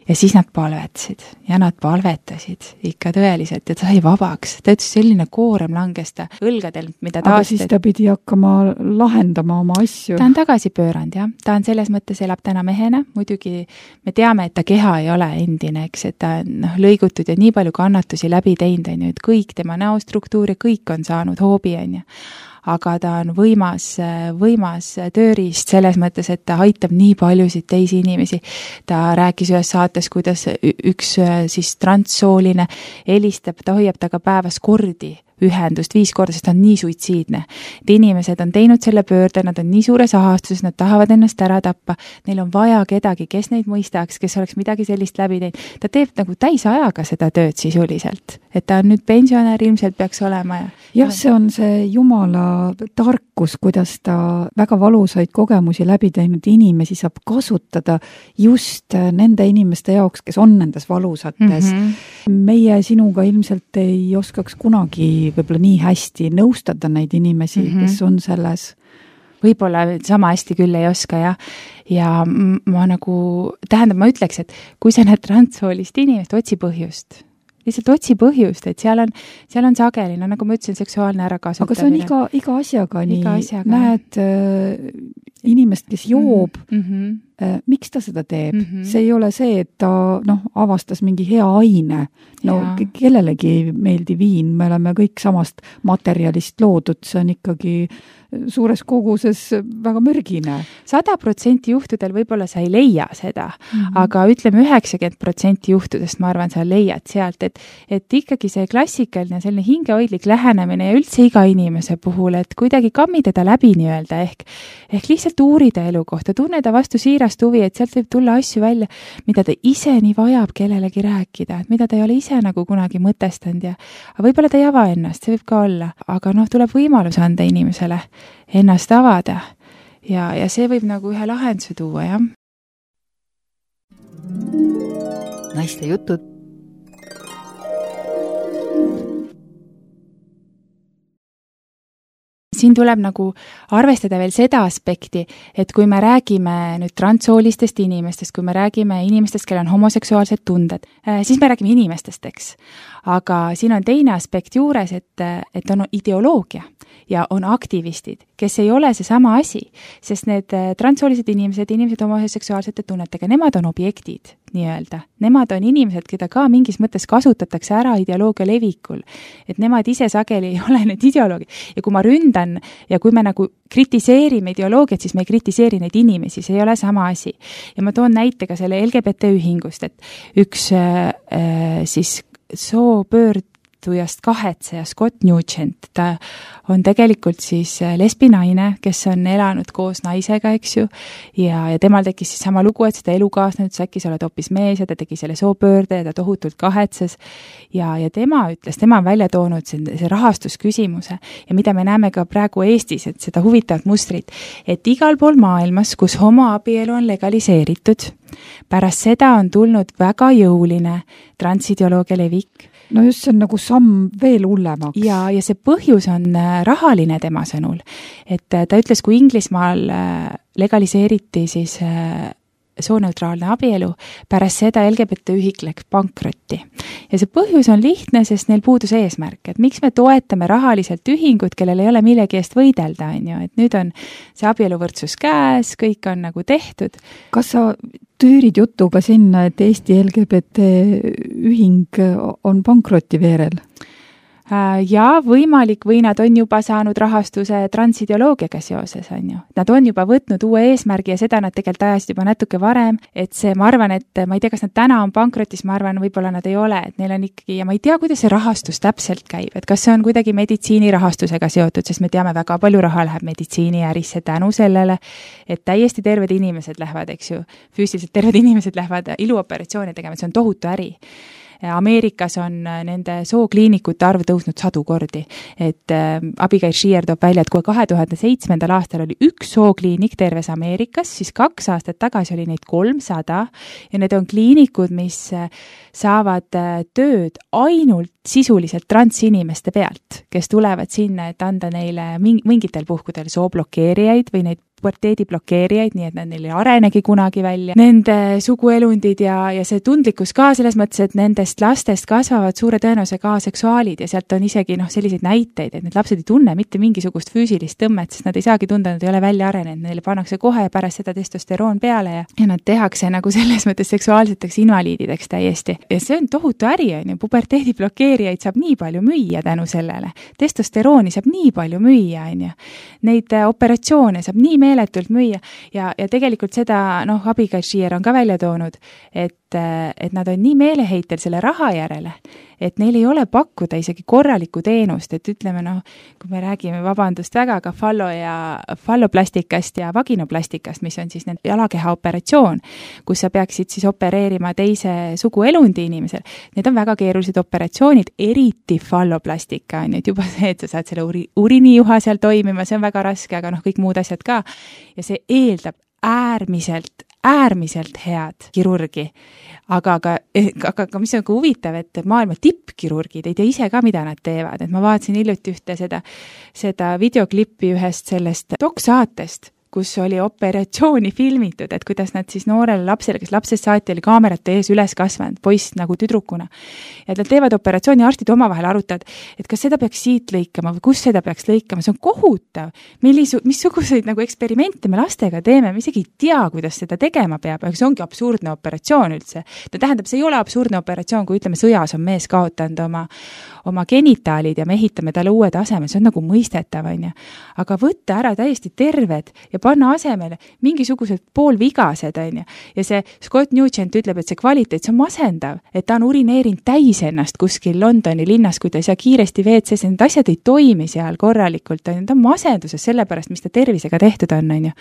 ja siis nad palvetasid ja nad palvetasid ikka tõeliselt ja ta sai vabaks. Ta ütles, selline koorem langes ta õlgadel, mida ta aga siis ta pidi hakkama lahendama oma asju. Ta on tagasi pööranud, jah. Ta on selles mõttes elab täna mehena. Muidugi me teame, et ta keha ei ole endine, eks, et ta on lõigutud ja nii palju kannatusi läbi teinud, on ju, et kõik tema näostruktuur ja kõik on saanud hoobi, on ju. Aga ta on võimas tööriist selles mõttes, et ta aitab nii paljusid teisi inimesi. Ta rääkis ühes saates, kuidas üks siis transsooline helistab, ta hoiab taga päevas kordi ühendust 5 korda, sest ta on nii suitsiidne. Et inimesed on teinud selle pöörde, nad on nii suures ahastuses, nad tahavad ennast ära tappa, neil on vaja kedagi, kes neid mõistaks, kes oleks midagi sellist läbi teinud. Ta teeb nagu täisajaga seda tööd sisuliselt, et ta on nüüd pensionär, ilmselt peaks olema. Jah, see on see Jumala tarkus, kuidas ta väga valusaid kogemusi läbi teinud inimesi saab kasutada just nende inimeste jaoks, kes on nendes valusates. Meie sinuga ilmselt ei oskaks kunagi võib-olla nii hästi nõustada neid inimesi, kes on selles. Võib-olla sama hästi küll ei oska, ja ma nagu, tähendab, ma ütleks, et kui sa näed transsoolist inimest, otsi põhjust. Lihtsalt otsi põhjust, et seal on sageli, nagu ma ütlesin, seksuaalne ärakasutamine. Aga see on iga asjaga nii. Näed inimest, kes joob, miks ta seda teeb? See ei ole see, et ta avastas mingi hea aine. Kellelegi meeldi viin, me oleme kõik samast materjalist loodud, see on ikkagi suures koguses väga mürgine. 100% juhtudel võib-olla sa ei leia seda, aga ütleme 90% juhtudest ma arvan, sa leiad sealt, et ikkagi see klassikaline selline hingehoidlik lähenemine ja üldse iga inimese puhul, et kuidagi kammidada läbi nii-öelda ehk lihtsalt uurida elu kohta, tunneda vastu siirast huvi, et sealt võib tulla asju välja, mida ta ise nii vajab kellelegi rääkida, et mida ta ei ole ise nagu kunagi mõtestanud ja võib-olla ta ei ava ennast, see võib ka olla, aga tuleb võimalus anda inimesele ennast avada ja see võib nagu ühe lahenduse tuua, jah. Naiste jutud. Siin tuleb nagu arvestada veel seda aspekti, et kui me räägime nüüd transsoolistest inimestest, kui me räägime inimestest, kellel on homoseksuaalsed tunded, siis me räägime inimestest, eks. Aga siin on teine aspekt juures, et on ideoloogia ja on aktivistid, kes ei ole see sama asi, sest need transsoolised inimesed homoseksuaalsete tunnetega, nemad on objektid nii-öelda. Nemad on inimesed, keda ka mingis mõttes kasutatakse ära ideoloogia levikul. Et nemad ise sageli ei ole need ideoloogid. Ja kui ma ründan ja kui me nagu kritiseerime ideoloogiat, siis me ei kritiseeri neid inimesi, see ei ole sama asi. Ja ma toon näite ka selle LGBT ühingust, et üks siis soopöördujast kahetseja Scott Nugent, ta on tegelikult siis lesbinaine, kes on elanud koos naisega, eks ju, ja temal tekkis siis sama lugu, et seda elukaasne ütles, äkki sa oled hoopis mees ja ta tegi selle soopöörde ja ta tohutult kahetses ja tema ütles, tema on välja toonud see rahastusküsimuse ja mida me näeme ka praegu Eestis, et seda huvitavat mustrit, et igal pool maailmas, kus homoabielu on legaliseeritud, pärast seda on tulnud väga jõuline transideoloogia levik. No just see on nagu samm veel hullemaks. Ja see põhjus on rahaline tema sõnul. Et ta ütles, kui Inglismaal legaliseeriti siis sooneutraalne abielu, pärast seda LGBT ühik läks pankrotti. Ja see põhjus on lihtne, sest neil puudus eesmärk, et miks me toetame rahaliselt ühingut, kellel ei ole millegi eest võidelda, on ju, et nüüd on see abieluvõrdsus käes, kõik on nagu tehtud. Kas sa tüürid jutuga sinna, et Eesti LGBT ühing on pankroti veerel? Ja võimalik või nad on juba saanud rahastuse transideoloogiaga seoses, on ju. Nad on juba võtnud uue eesmärgi ja seda nad tegelikult ajasid juba natuke varem, et see, ma arvan, et ma ei tea, kas nad täna on pankrotis, ma arvan, võib-olla nad ei ole, et neil on ikkagi, ja ma ei tea, kuidas see rahastus täpselt käib, et kas see on kuidagi meditsiinirahastusega seotud, sest me teame, väga palju raha läheb meditsiiniärisse tänu sellele, et täiesti terved inimesed lähevad, eks ju, füüsiliselt terved inimesed lähevad iluoperatsioone tegema, see on tohutu äri. Ameerikas on nende sookliinikute arv tõusnud 100 kordi, et Abigail Shrier toob välja, et kui 2007. aastal oli üks sookliinik terves Ameerikas, siis 2 aastat tagasi oli neid 300 ja need on kliinikud, mis saavad tööd ainult sisuliselt transinimeste pealt, kes tulevad sinna, et anda neile mingitel puhkudel sooblokeerijaid või neid puberteediblokeerijaid, nii et neil ei arenegi kunagi välja. Nende suguelundid ja see tundlikkus ka selles mõttes, et nendest lastest kasvavad suure tõenäosusega aseksuaalid ja sealt on isegi selliseid näiteid, et need lapsed ei tunne mitte mingisugust füüsilist tõmmet, sest nad ei saagi tunda, nad ei ole välja arenenud, neile pannakse kohe pärast seda testosteroon peale ja nad tehakse nagu selles mõttes seksuaalseteks invaliidideks täiesti. Ja see on tohutu äri, on ju, puberteediblokeerijaid saab nii palju müüa tänu sellele. Testosterooni saab nii palju müüa, on ju. Neid operatsioone saab nii meeletult müüa ja tegelikult seda, Abigail Shrier on ka välja toonud, et nad on nii meeleheitel selle raha järele, et neil ei ole pakkuda isegi korralikku teenust, et ütleme, kui me räägime, vabandust väga, aga falloplastikast ja vaginoplastikast, mis on siis nende jalakeha operatsioon, kus sa peaksid siis opereerima teise suguelundi inimesel. Need on väga keerulised operatsioonid, eriti falloplastika, on juba see, et sa saad selle urinijuha seal toimima, see on väga raske, aga kõik muud asjad ka. Ja see eeldab äärmiselt head kirurgi. Aga mis on huvitav, et maailma tippkirurgid ei tea ise ka, mida nad teevad. Et ma vaatasin hiljuti ühte seda videoklippi ühest sellest doksaatest, kus oli operatsiooni filmitud, et kuidas nad siis noorele lapsele, kes lapsest saati oli kaamerate ees üles kasvanud, poiss nagu tüdrukuna. Ja nad teevad operatsiooni, arstid omavahel arutavad, et kas seda peaks siit lõikama või kus seda peaks lõikama, see on kohutav. Missuguseid nagu eksperimente me lastega teeme, me isegi ei tea, kuidas seda tegema peab, aga see ongi absurdne operatsioon üldse. No tähendab, see ei ole absurdne operatsioon, kui ütleme, sõjas on mees kaotanud oma genitaalid ja me ehitame talle uue taseme, see on nagu mõistetav, on ju. Aga võtta ära täiesti terved ja panna asemele mingisugused poolvigased, on ju. Ja see Scott Nugent ütleb, et see kvaliteet, see on masendav, et ta on urineerinud täis ennast kuskil Londoni linnas, kui ta ei saa kiiresti WC-s, need asjad ei toimi seal korralikult, on ju. Ta on masenduses sellepärast, mis ta tervisega tehtud on ju.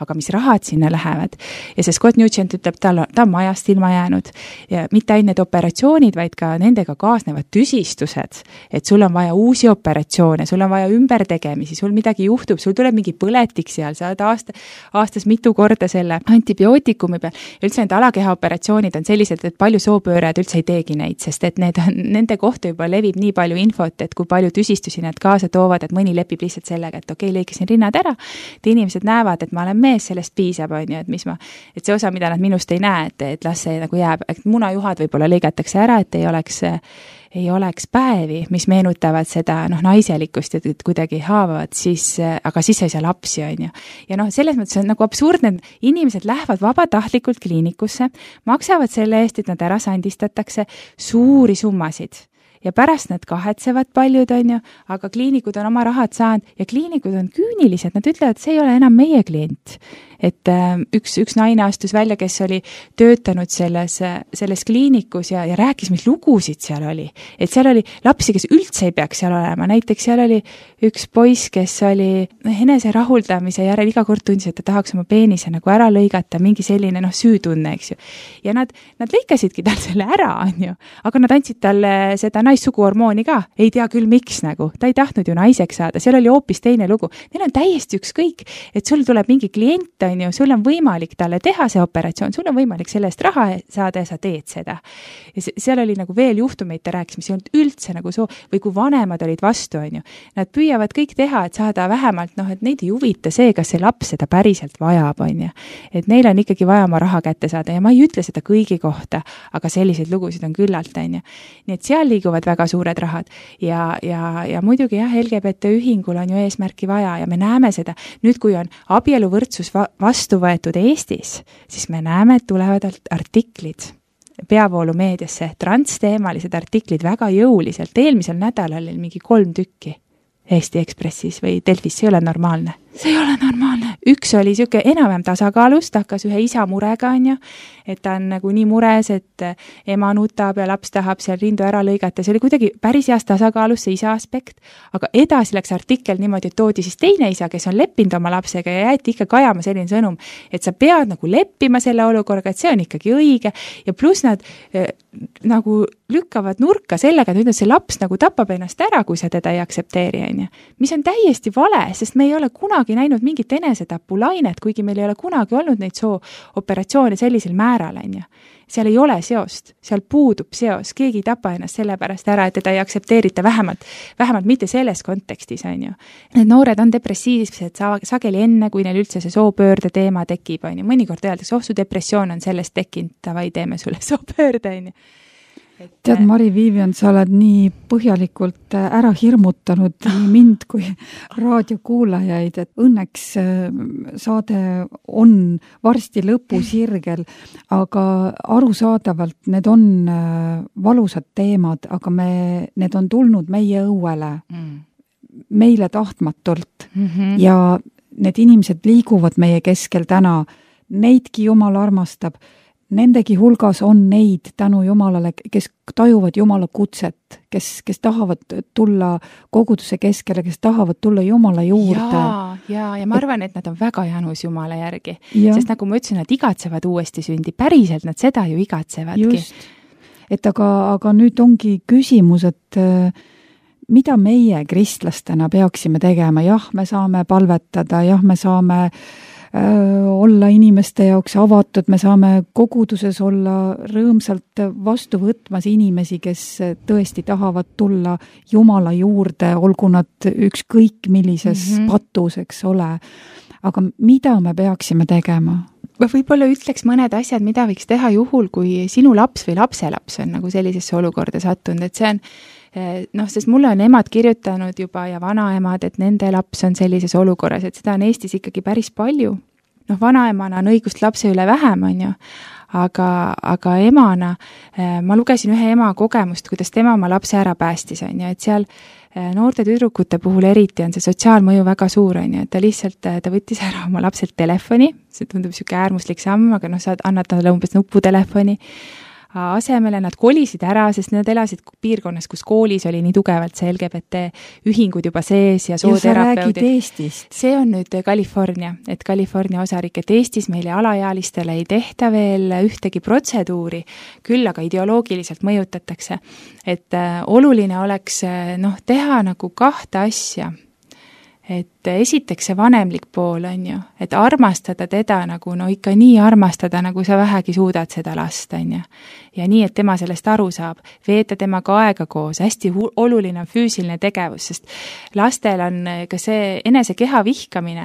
Aga mis rahad sinna lähevad. Ja see Scott Nugent ütleb, ta on majast ilma jäänud ja mitte ainult need operatsioonid, vaid ka nendega kaasnevad tüsistused, et sul on vaja uusi operatsioone, sul on vaja ümbertegemisi, sul midagi juhtub, sul tuleb mingi põletik seal, sa oled aastas mitu korda selle antibiootikumi peal. Üldse need alakehaoperatsioonid on sellised, et palju soopöörajad üldse ei teegi neid, sest et nende kohta juba levib nii palju infot, et kui palju tüsistusi nad kaasa toovad, et mõni lepib lihtsalt sellega, et okei, lõikasin rinnad ära, et inimesed näevad, et ma olen mees, sellest piisab, on ju, et see osa, mida nad minust ei näe, et las see nagu jääb, et munajuhad võib-olla lõigatakse ära, et ei oleks päevi, mis meenutavad seda naiselikkust ja kuidagi haavavad, aga siis ei saa lapsi, on ju. Ja selles mõttes on nagu absurdne, inimesed lähevad vabatahtlikult kliinikusse, maksavad selle eest, et nad ära sandistatakse suuri summasid. Ja pärast nad kahetsevad paljud, on ju, aga kliinikud on oma rahad saanud ja kliinikud on küünilised, nad ütlevad, et see ei ole enam meie klient. Et üks naine astus välja, kes oli töötanud selles kliinikus ja rääkis, mis lugusid seal oli. Et seal oli lapsi, kes üldse ei peaks seal olema. Näiteks seal oli üks poiss, kes oli enese rahuldamise järel iga kord tundis, et ta tahaks oma peenise nagu ära lõigata, mingi selline süütunne, eks ju. Ja nad lõikasidki tal selle ära, on ju. Aga nad andsid talle seda naissuguhormooni ka. Ei tea küll, miks nagu. Ta ei tahtnud ju naiseks saada. Seal oli hoopis teine lugu. Neil on täiesti ükskõik, et sul tuleb mingi klient, on ju, sul on võimalik talle teha see operatsioon, sul on võimalik selle eest raha saada ja sa teed seda. Ja seal oli nagu veel juhtumeid, ta rääkis, mis ei olnud üldse nagu või kui vanemad olid vastu, on ju. Nad püüavad kõik teha, et saada vähemalt, et neid ei huvita see, kas see laps seda päriselt vajab, on ju. Et neil on ikkagi vaja oma raha kätte saada ja ma ei ütle seda kõigi kohta, aga selliseid lugusid on küllalt, on ju. Nii et seal liiguvad väga suured rahad ja muidugi jah, LGBT ühingul on ju eesmärki vaja ja me näeme seda. Nüüd, kui on abieluvõrdsus vastu võetud Eestis, siis me näeme, et tulevad artiklid peavoolumeediasse, transteemalised artiklid väga jõuliselt. Eelmisel nädalal oli mingi 3 tükki Eesti Ekspressis või Delfis, see ei ole normaalne. See ei ole normaalne. Üks oli siuke enam-vähem tasakaalus, ta hakkas ühe isa murega, on ju, et ta on nagu nii mures, et ema nutab ja laps tahab seal rindu ära lõigata. See oli kuidagi päris heas tasakaalus, see isa aspekt, aga edasi läks artikkel niimoodi, et toodi siis teine isa, kes on leppinud oma lapsega ja jäeti ikka kajama selline sõnum, et sa pead nagu leppima selle olukorraga, et see on ikkagi õige ja pluss nad nagu lükkavad nurka sellega, et nüüd see laps nagu tapab ennast ära, kui sa teda ei aktsepteeri, on ju. Mis on täiesti vale, sest me ei ole kunagi näinud mingit enesetapulainet, kuigi meil ei ole kunagi olnud neid sooperatsioone sellisel määral, on ju. Seal ei ole seost, seal puudub seos, keegi ei tapa ennast sellepärast ära, et teda ei aktsepteerita vähemalt mitte selles kontekstis, on ju. Need noored on depressiivsed sageli enne, kui neil üldse see soopöörde teema tekib, on ju. Mõnikord öeldakse, su depressioon on sellest tekkinud, davai, teeme sulle soopöörde, on ju. Tead, Mari-Viivian, sa oled nii põhjalikult ära hirmutanud nii mind kui raadiokuulajaid, et õnneks saade on varsti lõpusirgel, aga arusaadavalt need on valusad teemad, aga need on tulnud meie õuele, meile tahtmatult ja need inimesed liiguvad meie keskel täna, neidki Jumal armastab. Nendegi hulgas on neid tänu Jumalale, kes tajuvad Jumala kutset, kes tahavad tulla koguduse keskele, kes tahavad tulla Jumala juurde. Ja ma arvan, et nad on väga janus Jumala järgi, sest nagu ma ütlesin, nad igatsevad uuesti sündi, päriselt nad seda ju igatsevadki. Just, et aga nüüd ongi küsimus, et mida meie kristlastena peaksime tegema, jah, me saame palvetada, jah, me saame olla inimeste jaoks avatud, me saame koguduses olla rõõmsalt vastu võtmas inimesi, kes tõesti tahavad tulla Jumala juurde, olgu nad ükskõik millises patus, eks ole. aga mida me peaksime tegema? Ma võib-olla ütleks mõned asjad, mida võiks teha juhul, kui sinu laps või lapselaps on nagu sellisesse olukorda sattunud, et see on sest mulle on emad kirjutanud juba ja vanaemad, et nende laps on sellises olukorras, et seda on Eestis ikkagi päris palju. Vanaemana on õigust lapse üle vähem, on ju, aga emana, ma lugesin ühe ema kogemust, kuidas tema oma lapse ära päästis, on ju, et seal noorte tüdrukute puhul eriti on see sotsiaalmõju väga suur, on ju, et ta võttis ära oma lapselt telefoni, see tundub niisugune äärmuslik samm, aga sa annad talle umbes nuputelefoni, asemele nad kolisid ära, sest nad elasid piirkonnas, kus koolis oli nii tugevalt see LGBT ühingud juba sees ja sooterapeudid. Ja sa räägid Eestist. See on nüüd California, et California osarik, et Eestis meile alaealistele ei tehta veel ühtegi protseduuri, küll aga ideoloogiliselt mõjutatakse. Et oluline oleks teha nagu kahte asja. Et esiteks see vanemlik pool on ju, et armastada teda nagu, ikka nii armastada, nagu sa vähegi suudad seda last, on ju. Ja nii, et tema sellest aru saab, veeta temaga aega koos, hästi oluline on füüsiline tegevus, sest lastel on ka see enese keha vihkamine,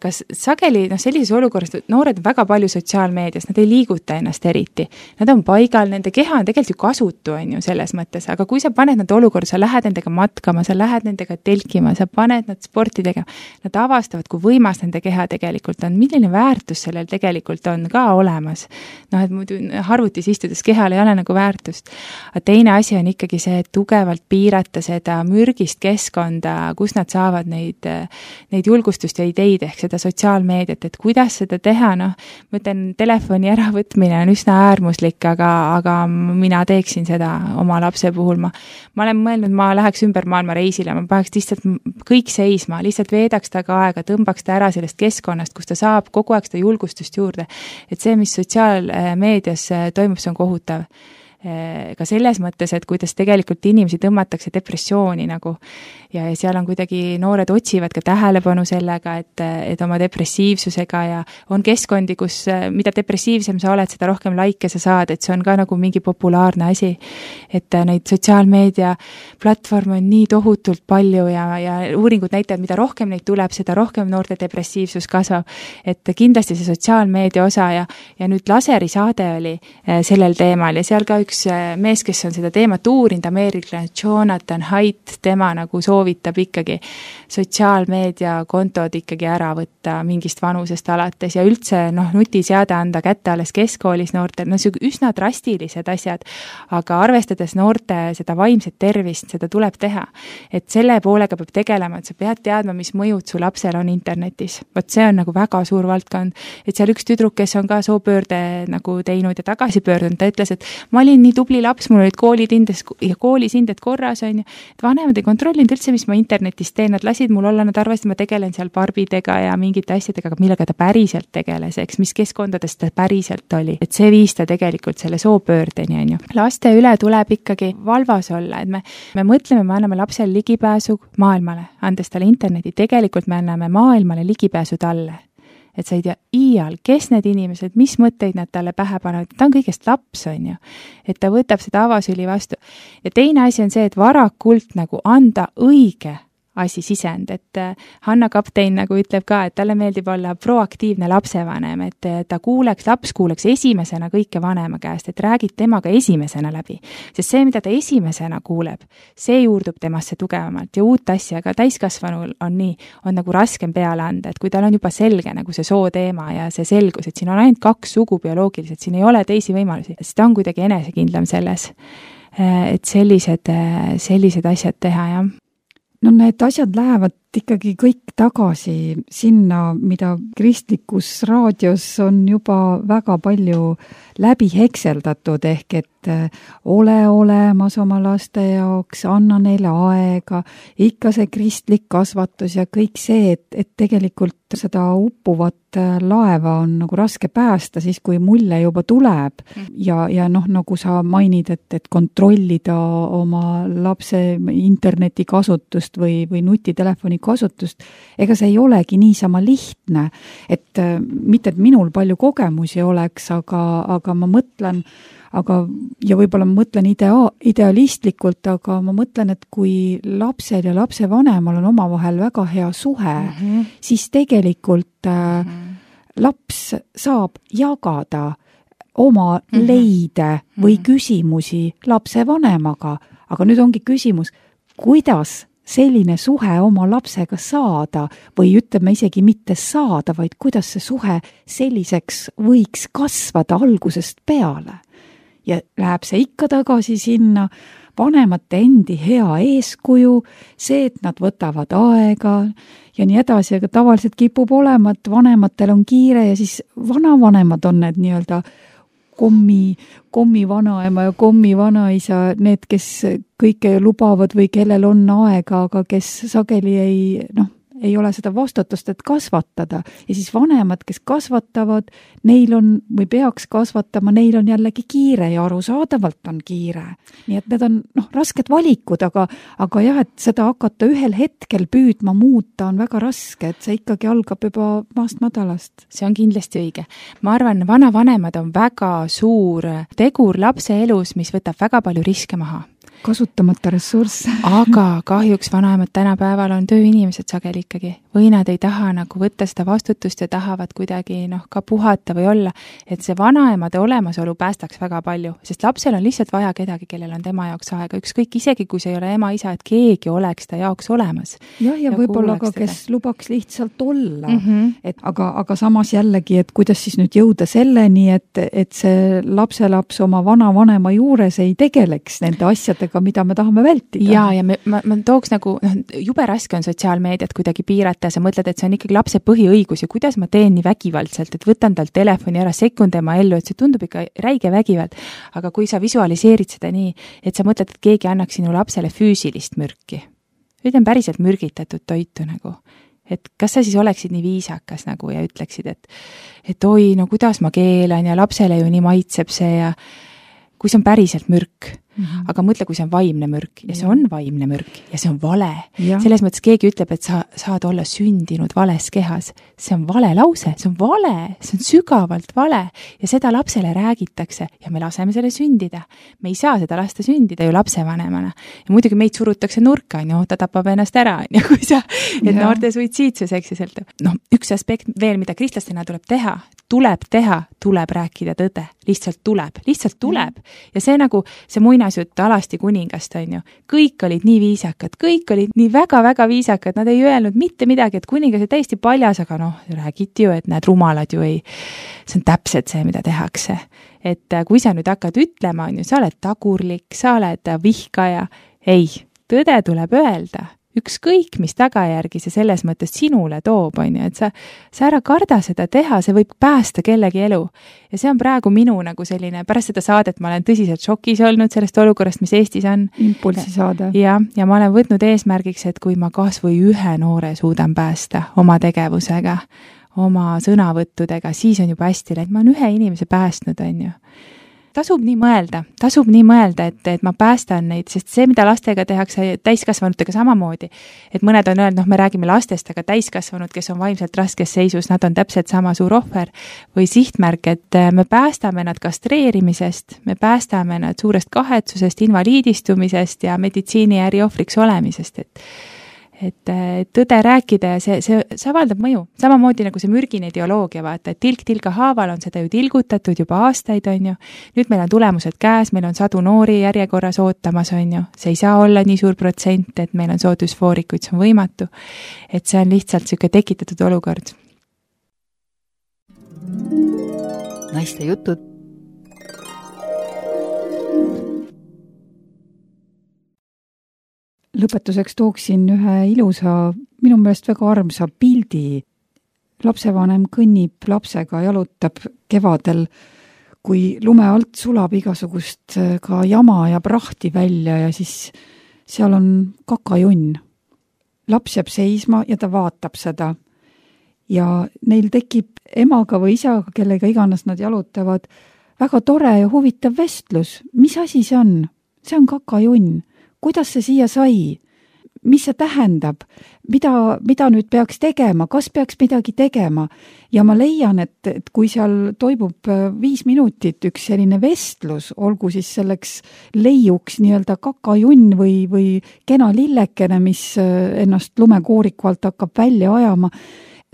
kas sageli, sellises olukorras, noored on väga palju sotsiaalmeedias, nad ei liiguta ennast eriti, nad on paigal, nende keha on tegelikult ju kasutu, on ju, selles mõttes, aga kui sa paned nad olukorda, sa lähed nendega matkama, sa lähed nendega telkima, sa paned nad sporti tegema, nad avastavad, kui võimas nende keha tegelikult on, milline väärtus sellel tegelikult on ka olemas. Et muidu arvutis istudes kehal ei ole nagu väärtust. Aga teine asi on ikkagi see, et tugevalt piirata seda mürgist keskkonda, kus nad saavad neid julgustust ja ideid ehk seda sotsiaalmeediat, et kuidas seda teha, ma ütlen, telefoni äravõtmine on üsna äärmuslik, aga mina teeksin seda oma lapse puhul. Ma olen mõelnud, ma läheks ümber maailma reisile, ma paneks lihtsalt kõik seisma, lihtsalt veedaks taga aega, tõmbaks ta ära sellest keskkonnast, kus ta saab kogu aeg seda julgustust juurde. Et see, mis sotsiaalmeedias toimub, see on kohutav. Ka selles mõttes, et kuidas tegelikult inimesi tõmmatakse depressiooni nagu ja seal on kuidagi noored otsivad ka tähelepanu sellega, et oma depressiivsusega ja on keskkondi, kus mida depressiivsem sa oled, seda rohkem laike sa saad, et see on ka nagu mingi populaarne asi, et neid sotsiaalmeedia platvorme on nii tohutult palju ja uuringud näitavad, mida rohkem neid tuleb, seda rohkem noorte depressiivsus kasvab, et kindlasti see sotsiaalmeedia osa ja nüüd laserisaade oli sellel teemal ja seal ka üks mees, kes on seda teemat uurinud, ameeriklane Jonathan Haidt, tema nagu soovitab ikkagi sotsiaalmeedia kontod ikkagi ära võtta mingist vanusest alates ja üldse nutiseade anda kätte alles keskkoolis noortel, üsna drastilised asjad, aga arvestades noorte seda vaimset tervist, seda tuleb teha. Et selle poolega peab tegelema, et sa pead teadma, mis mõjud su lapsel on internetis. Vot see on nagu väga suur valdkond, et seal üks tüdruk, kes on ka soopöörde nagu teinud ja tagasi pöördunud, ta ütles, et ma olin nii tubli laps, mul olid koolis hinded korras, on ju, et vanemad ei kontrollinud üldse, mis ma internetis teen, nad lasid mul olla, nad arvasid, ma tegelen seal barbidega ja mingite asjadega, aga millega ta päriselt tegeles, eks, mis keskkondades ta päriselt oli. Et see viis ta tegelikult selle soopöördeni, on ju. Laste üle tuleb ikkagi valvas olla, et me mõtleme, me anname lapsele ligipääsu maailmale, andes talle interneti, tegelikult me anname maailmale ligipääsu talle. Et sa ei tea iial, kes need inimesed, mis mõtteid nad talle pähe panevad, ta on kõigest laps, on ju, et ta võtab seda avasüli vastu. Ja teine asi on see, et varakult nagu anda õige asi sisend, et Hanna Kaptein nagu ütleb ka, et talle meeldib olla proaktiivne lapsevanem, et laps kuuleks esimesena kõike vanema käest, et räägid temaga esimesena läbi. Sest see, mida ta esimesena kuuleb, see juurdub temasse tugevamalt ja uut asja, aga täiskasvanul on nagu raskem peale anda, et kui tal on juba selge nagu see sooteema ja see selgus, et siin on ainult 2 sugu bioloogiliselt, siin ei ole teisi võimalusi, siis ta on kuidagi enesekindlam selles, et sellised asjad teha, jah. Need asjad lähevad ikkagi kõik tagasi sinna, mida kristlikus raadios on juba väga palju läbi hekseldatud, ehk et ole olemas oma laste jaoks, anna neile aega, ikka see kristlik kasvatus ja kõik see, et tegelikult seda uppuvat laeva on nagu raske päästa siis, kui mulje juba tuleb ja nagu sa mainid, et kontrollida oma lapse interneti kasutust või nutitelefoni kasutust, ega see ei olegi niisama lihtne, et mitte, et minul palju kogemusi oleks, aga ma mõtlen, aga ja võib-olla ma mõtlen idealistlikult, aga ma mõtlen, et kui lapsel ja lapsevanemal on omavahel väga hea suhe, siis tegelikult laps saab jagada oma leide või küsimusi lapsevanemaga, aga nüüd ongi küsimus, kuidas selline suhe oma lapsega saada või ütleme isegi mitte saada, vaid kuidas see suhe selliseks võiks kasvada algusest peale. Ja läheb see ikka tagasi sinna vanemate endi hea eeskuju, see, et nad võtavad aega ja nii edasi, aga tavaliselt kipub olema, et vanematel on kiire ja siis vanavanemad on need nii-öelda kommi vanaema ja kommi vanaisa, need, kes kõike lubavad või kellel on aega, aga kes sageli ei ole seda vastutust, et kasvatada. Ja siis vanemad, kes kasvatavad, neil on või peaks kasvatama, neil on jällegi kiire ja arusaadavalt on kiire. Nii et need on rasked valikud, aga jah, et seda hakata ühel hetkel püüdma muuta on väga raske, et see ikkagi algab juba maast madalast. See on kindlasti õige. Ma arvan, vanavanemad on väga suur tegur lapse elus, mis võtab väga palju riske maha. Kasutamata ressurss. Aga kahjuks vanaemad tänapäeval on tööinimesed sageli ikkagi. Või nad ei taha nagu võtta seda vastutust ja tahavad kuidagi ka puhata või olla. Et see vanaemade olemasolu päästaks väga palju, sest lapsel on lihtsalt vaja kedagi, kellel on tema jaoks aega. Ükskõik isegi, kui see ei ole ema-isa, et keegi oleks ta jaoks olemas. Ja võib-olla ka, kes lubaks lihtsalt olla. Aga samas jällegi, et kuidas siis nüüd jõuda selleni, et see lapselaps oma vanavanema juures ei tegeleks nende asjadega, mida me tahame vältida. Ja ma tooks jube raske on sotsiaalmeediat kuidagi piirata ja sa mõtled, et see on ikkagi lapse põhiõigus ja kuidas ma teen nii vägivaldselt, et võtan tal telefoni ära, sekun tema ellu, et see tundub ikka räige vägivald. Aga kui sa visualiseerid seda nii, et sa mõtled, et keegi annaks sinu lapsele füüsilist mürki, ütlem päriselt mürgitatud toitu et kas sa siis oleksid nii viisakas ja ütleksid, et oi, kuidas ma keelan ja lapsele ju nii maitseb see ja kui see on päriselt mürk, aga mõtle, kui see on vaimne mürk ja see on vaimne mürk ja see on vale. Selles mõttes keegi ütleb, et sa saad olla sündinud vales kehas. See on vale lause, see on vale, see on sügavalt vale ja seda lapsele räägitakse ja me laseme selle sündida. Me ei saa seda lasta sündida ju lapsevanemana. Ja muidugi meid surutakse nurka, ta tapab ennast ära, kui sa, et noorte suitsiidsus, eks ju. Üks aspekt veel, mida kristlastena tuleb teha, tuleb rääkida tõde. Lihtsalt tuleb. Ja see see muinasjutt Alasti kuningast on ju. Kõik olid nii viisakad, kõik olid nii väga-väga viisakad, nad ei öelnud mitte midagi, et kuningas oli täiesti paljas, aga räägiti ju, et need rumalad ju ei, see on täpselt see, mida tehakse. Et kui sa nüüd hakkad ütlema, on ju, sa oled tagurlik, sa oled vihkaja, ei, tõde tuleb öelda. Ükskõik, mis tagajärgi see selles mõttes sinule toob, on ju, et sa ära karda seda teha, see võib päästa kellegi elu. Ja see on praegu minu selline, pärast seda saadet ma olen tõsiselt šokis olnud sellest olukorrast, mis Eestis on. Impulsi saada. Ja ma olen võtnud eesmärgiks, et kui ma kas või ühe noore suudan päästa oma tegevusega, oma sõnavõttudega, siis on juba hästi läinud. Ma olen ühe inimese päästnud, on ju. Tasub nii mõelda, et ma päästan neid, sest see, mida lastega tehakse täiskasvanutega samamoodi, et mõned on öelnud, me räägime lastest, aga täiskasvanud, kes on vaimselt raskes seisus, nad on täpselt sama suur ohver või sihtmärk, et me päästame nad kastreerimisest, me päästame nad suurest kahetsusest, invaliidistumisest ja meditsiini äriohvriks olemisest, et tõde rääkida ja see avaldab mõju. Samamoodi nagu see mürgine ideoloogia, vaata, et tilk tilka haaval on seda ju tilgutatud juba aastaid, on ju. Nüüd meil on tulemused käes, meil on sadu noori järjekorras ootamas, on ju. See ei saa olla nii suur protsent, et meil on soodusfoorikuid, see on võimatu. Et see on lihtsalt selline tekitatud olukord. Naiste jutud. Lõpetuseks tooksin ühe ilusa, minu meelest väga armsa pildi. Lapsevanem kõnnib lapsega, jalutab kevadel, kui lume alt sulab igasugust ka jama ja prahti välja ja siis seal on kakajunn. Laps jääb seisma ja ta vaatab seda. Ja neil tekib emaga või isaga, kellega iganes nad jalutavad, väga tore ja huvitav vestlus. Mis asi see on? See on kakajunn. Kuidas see siia sai? mis see tähendab, mida nüüd peaks tegema, kas peaks midagi tegema. Ja ma leian, et kui seal toimub 5 minutit üks selline vestlus, olgu siis selleks leiuks nii-öelda kakajunn või kena lillekene, mis ennast lumekooriku alt hakkab välja ajama,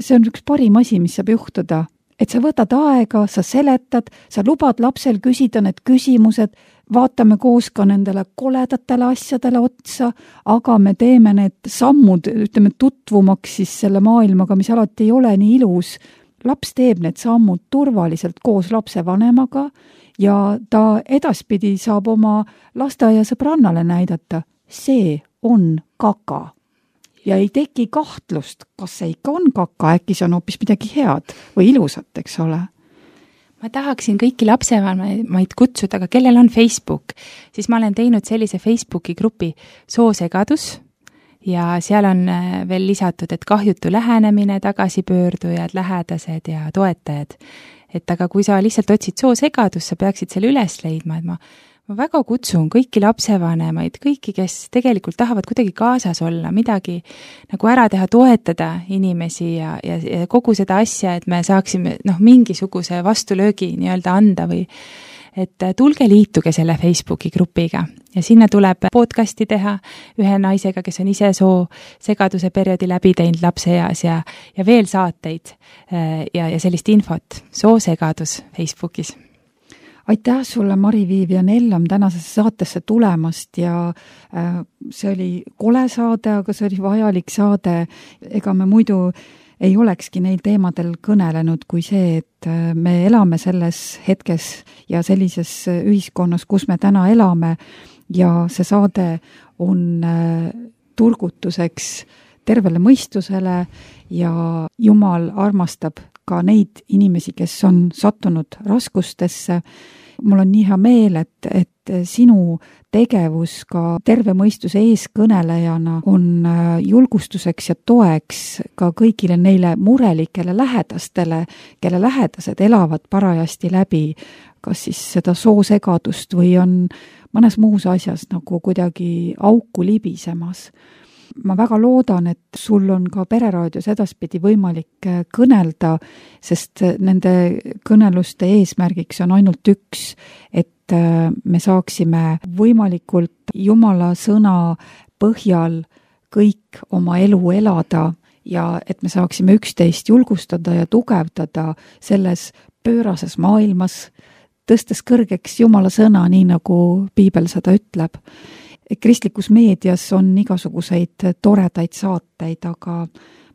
see on üks parim asi, mis saab juhtuda. Et sa võtad aega, sa seletad, sa lubad lapsel küsida need küsimused, vaatame koos ka nendele koledatele asjadele otsa, aga me teeme need sammud, ütleme, tutvumaks siis selle maailmaga, mis alati ei ole nii ilus. Laps teeb need sammud turvaliselt koos lapsevanemaga ja ta edaspidi saab oma lasteaia sõbrannale näidata, see on kaka. Ja ei teki kahtlust, kas see ikka on kaka, äkki see on hoopis midagi head või ilusat, eks ole. Ma tahaksin kõiki lapsevanemaid kutsuda, aga kellel on Facebook, siis ma olen teinud sellise Facebooki grupi Soosegadus ja seal on veel lisatud, et kahjutu lähenemine, tagasipöördujad, lähedased ja toetajad. Et aga kui sa lihtsalt otsid Soosegadus, sa peaksid selle üles leidma, et ma väga kutsun kõiki lapsevanemaid, kõiki, kes tegelikult tahavad kuidagi kaasas olla, midagi nagu ära teha, toetada inimesi ja kogu seda asja, et me saaksime mingisuguse vastulöögi nii-öelda anda või et tulge liituge selle Facebooki grupiga ja sinna tuleb podcasti teha ühe naisega, kes on ise segaduse perioodi läbi teinud lapse eas ja veel saateid ja sellist infot. Soosegadus Facebookis. Aitäh sulle, Mari-Viivian Ellam, tänasesse saatesse tulemast ja see oli kole saade, aga see oli vajalik saade. Ega me muidu ei olekski neil teemadel kõnelenud kui see, et me elame selles hetkes ja sellises ühiskonnas, kus me täna elame ja see saade on turgutuseks tervele mõistusele ja Jumal armastab ka neid inimesi, kes on sattunud raskustesse. Mul on nii hea meel, et sinu tegevus ka terve mõistuse eeskõnelejana on julgustuseks ja toeks ka kõigile neile murelikele lähedastele, kelle lähedased elavad parajasti läbi, kas siis seda soosegadust või on mõnes muus asjas nagu kuidagi auku libisemas. Ma väga loodan, et sul on ka Pereraadios edaspidi võimalik kõnelda, sest nende kõneluste eesmärgiks on ainult üks, et me saaksime võimalikult Jumala sõna põhjal kõik oma elu elada ja et me saaksime üksteist julgustada ja tugevdada selles pöörases maailmas, tõstes kõrgeks Jumala sõna, nii nagu Piibel seda ütleb. Kristlikus meedias on igasuguseid toredaid saateid, aga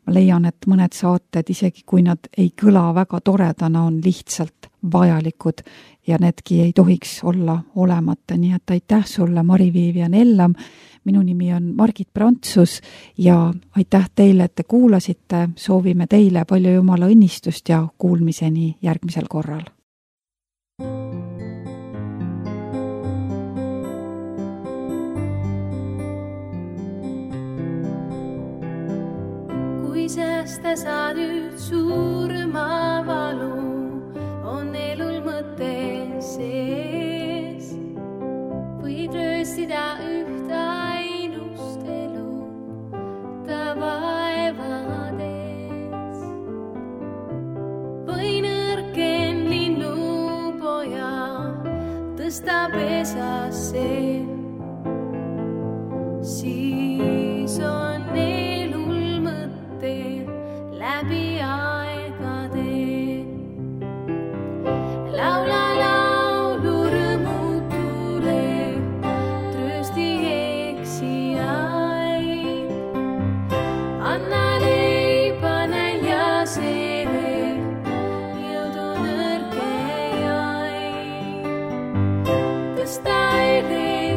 ma leian, et mõned saated, isegi kui nad ei kõla väga toredana, on lihtsalt vajalikud ja needki ei tohiks olla olemata. Nii et aitäh sulle, Mari-Viivian Ellam. Minu nimi on Margit Prantsus ja aitäh teile, et te kuulasite. Soovime teile palju Jumala õnnistust ja kuulmiseni järgmisel korral. Kui säästa sa nüüd suurma valu, on elul mõte sees. Võid rööstida üht ainust elu ta vaevades. Või nõrken linnupoja tõsta pesasse, siis on elul mõte läbi aegade. Laula laulu rõõmutule, tröösti eksijaid. Anna leiba näljasele, jõudu nõrkejaid. Tõsta üle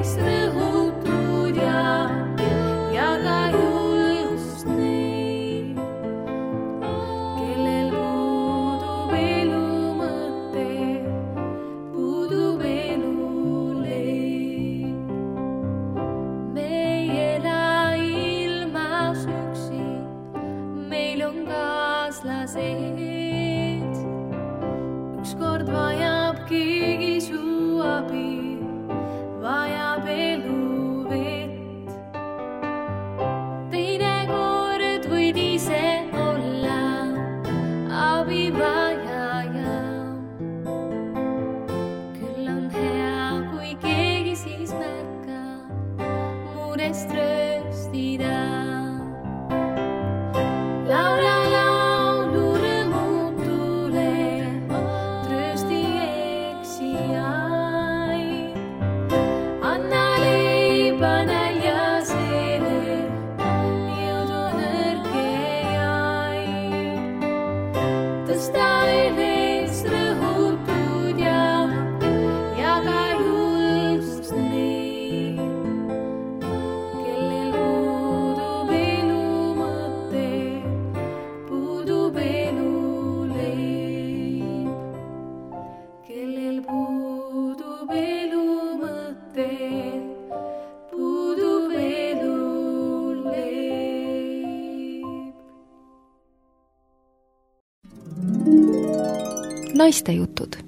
mõista enes rõhutud ja ka julgust nii, kellel puudub elu mõte, puudub elu leib, kellel puudub elu mõte, puudub elu leib. Naistejutud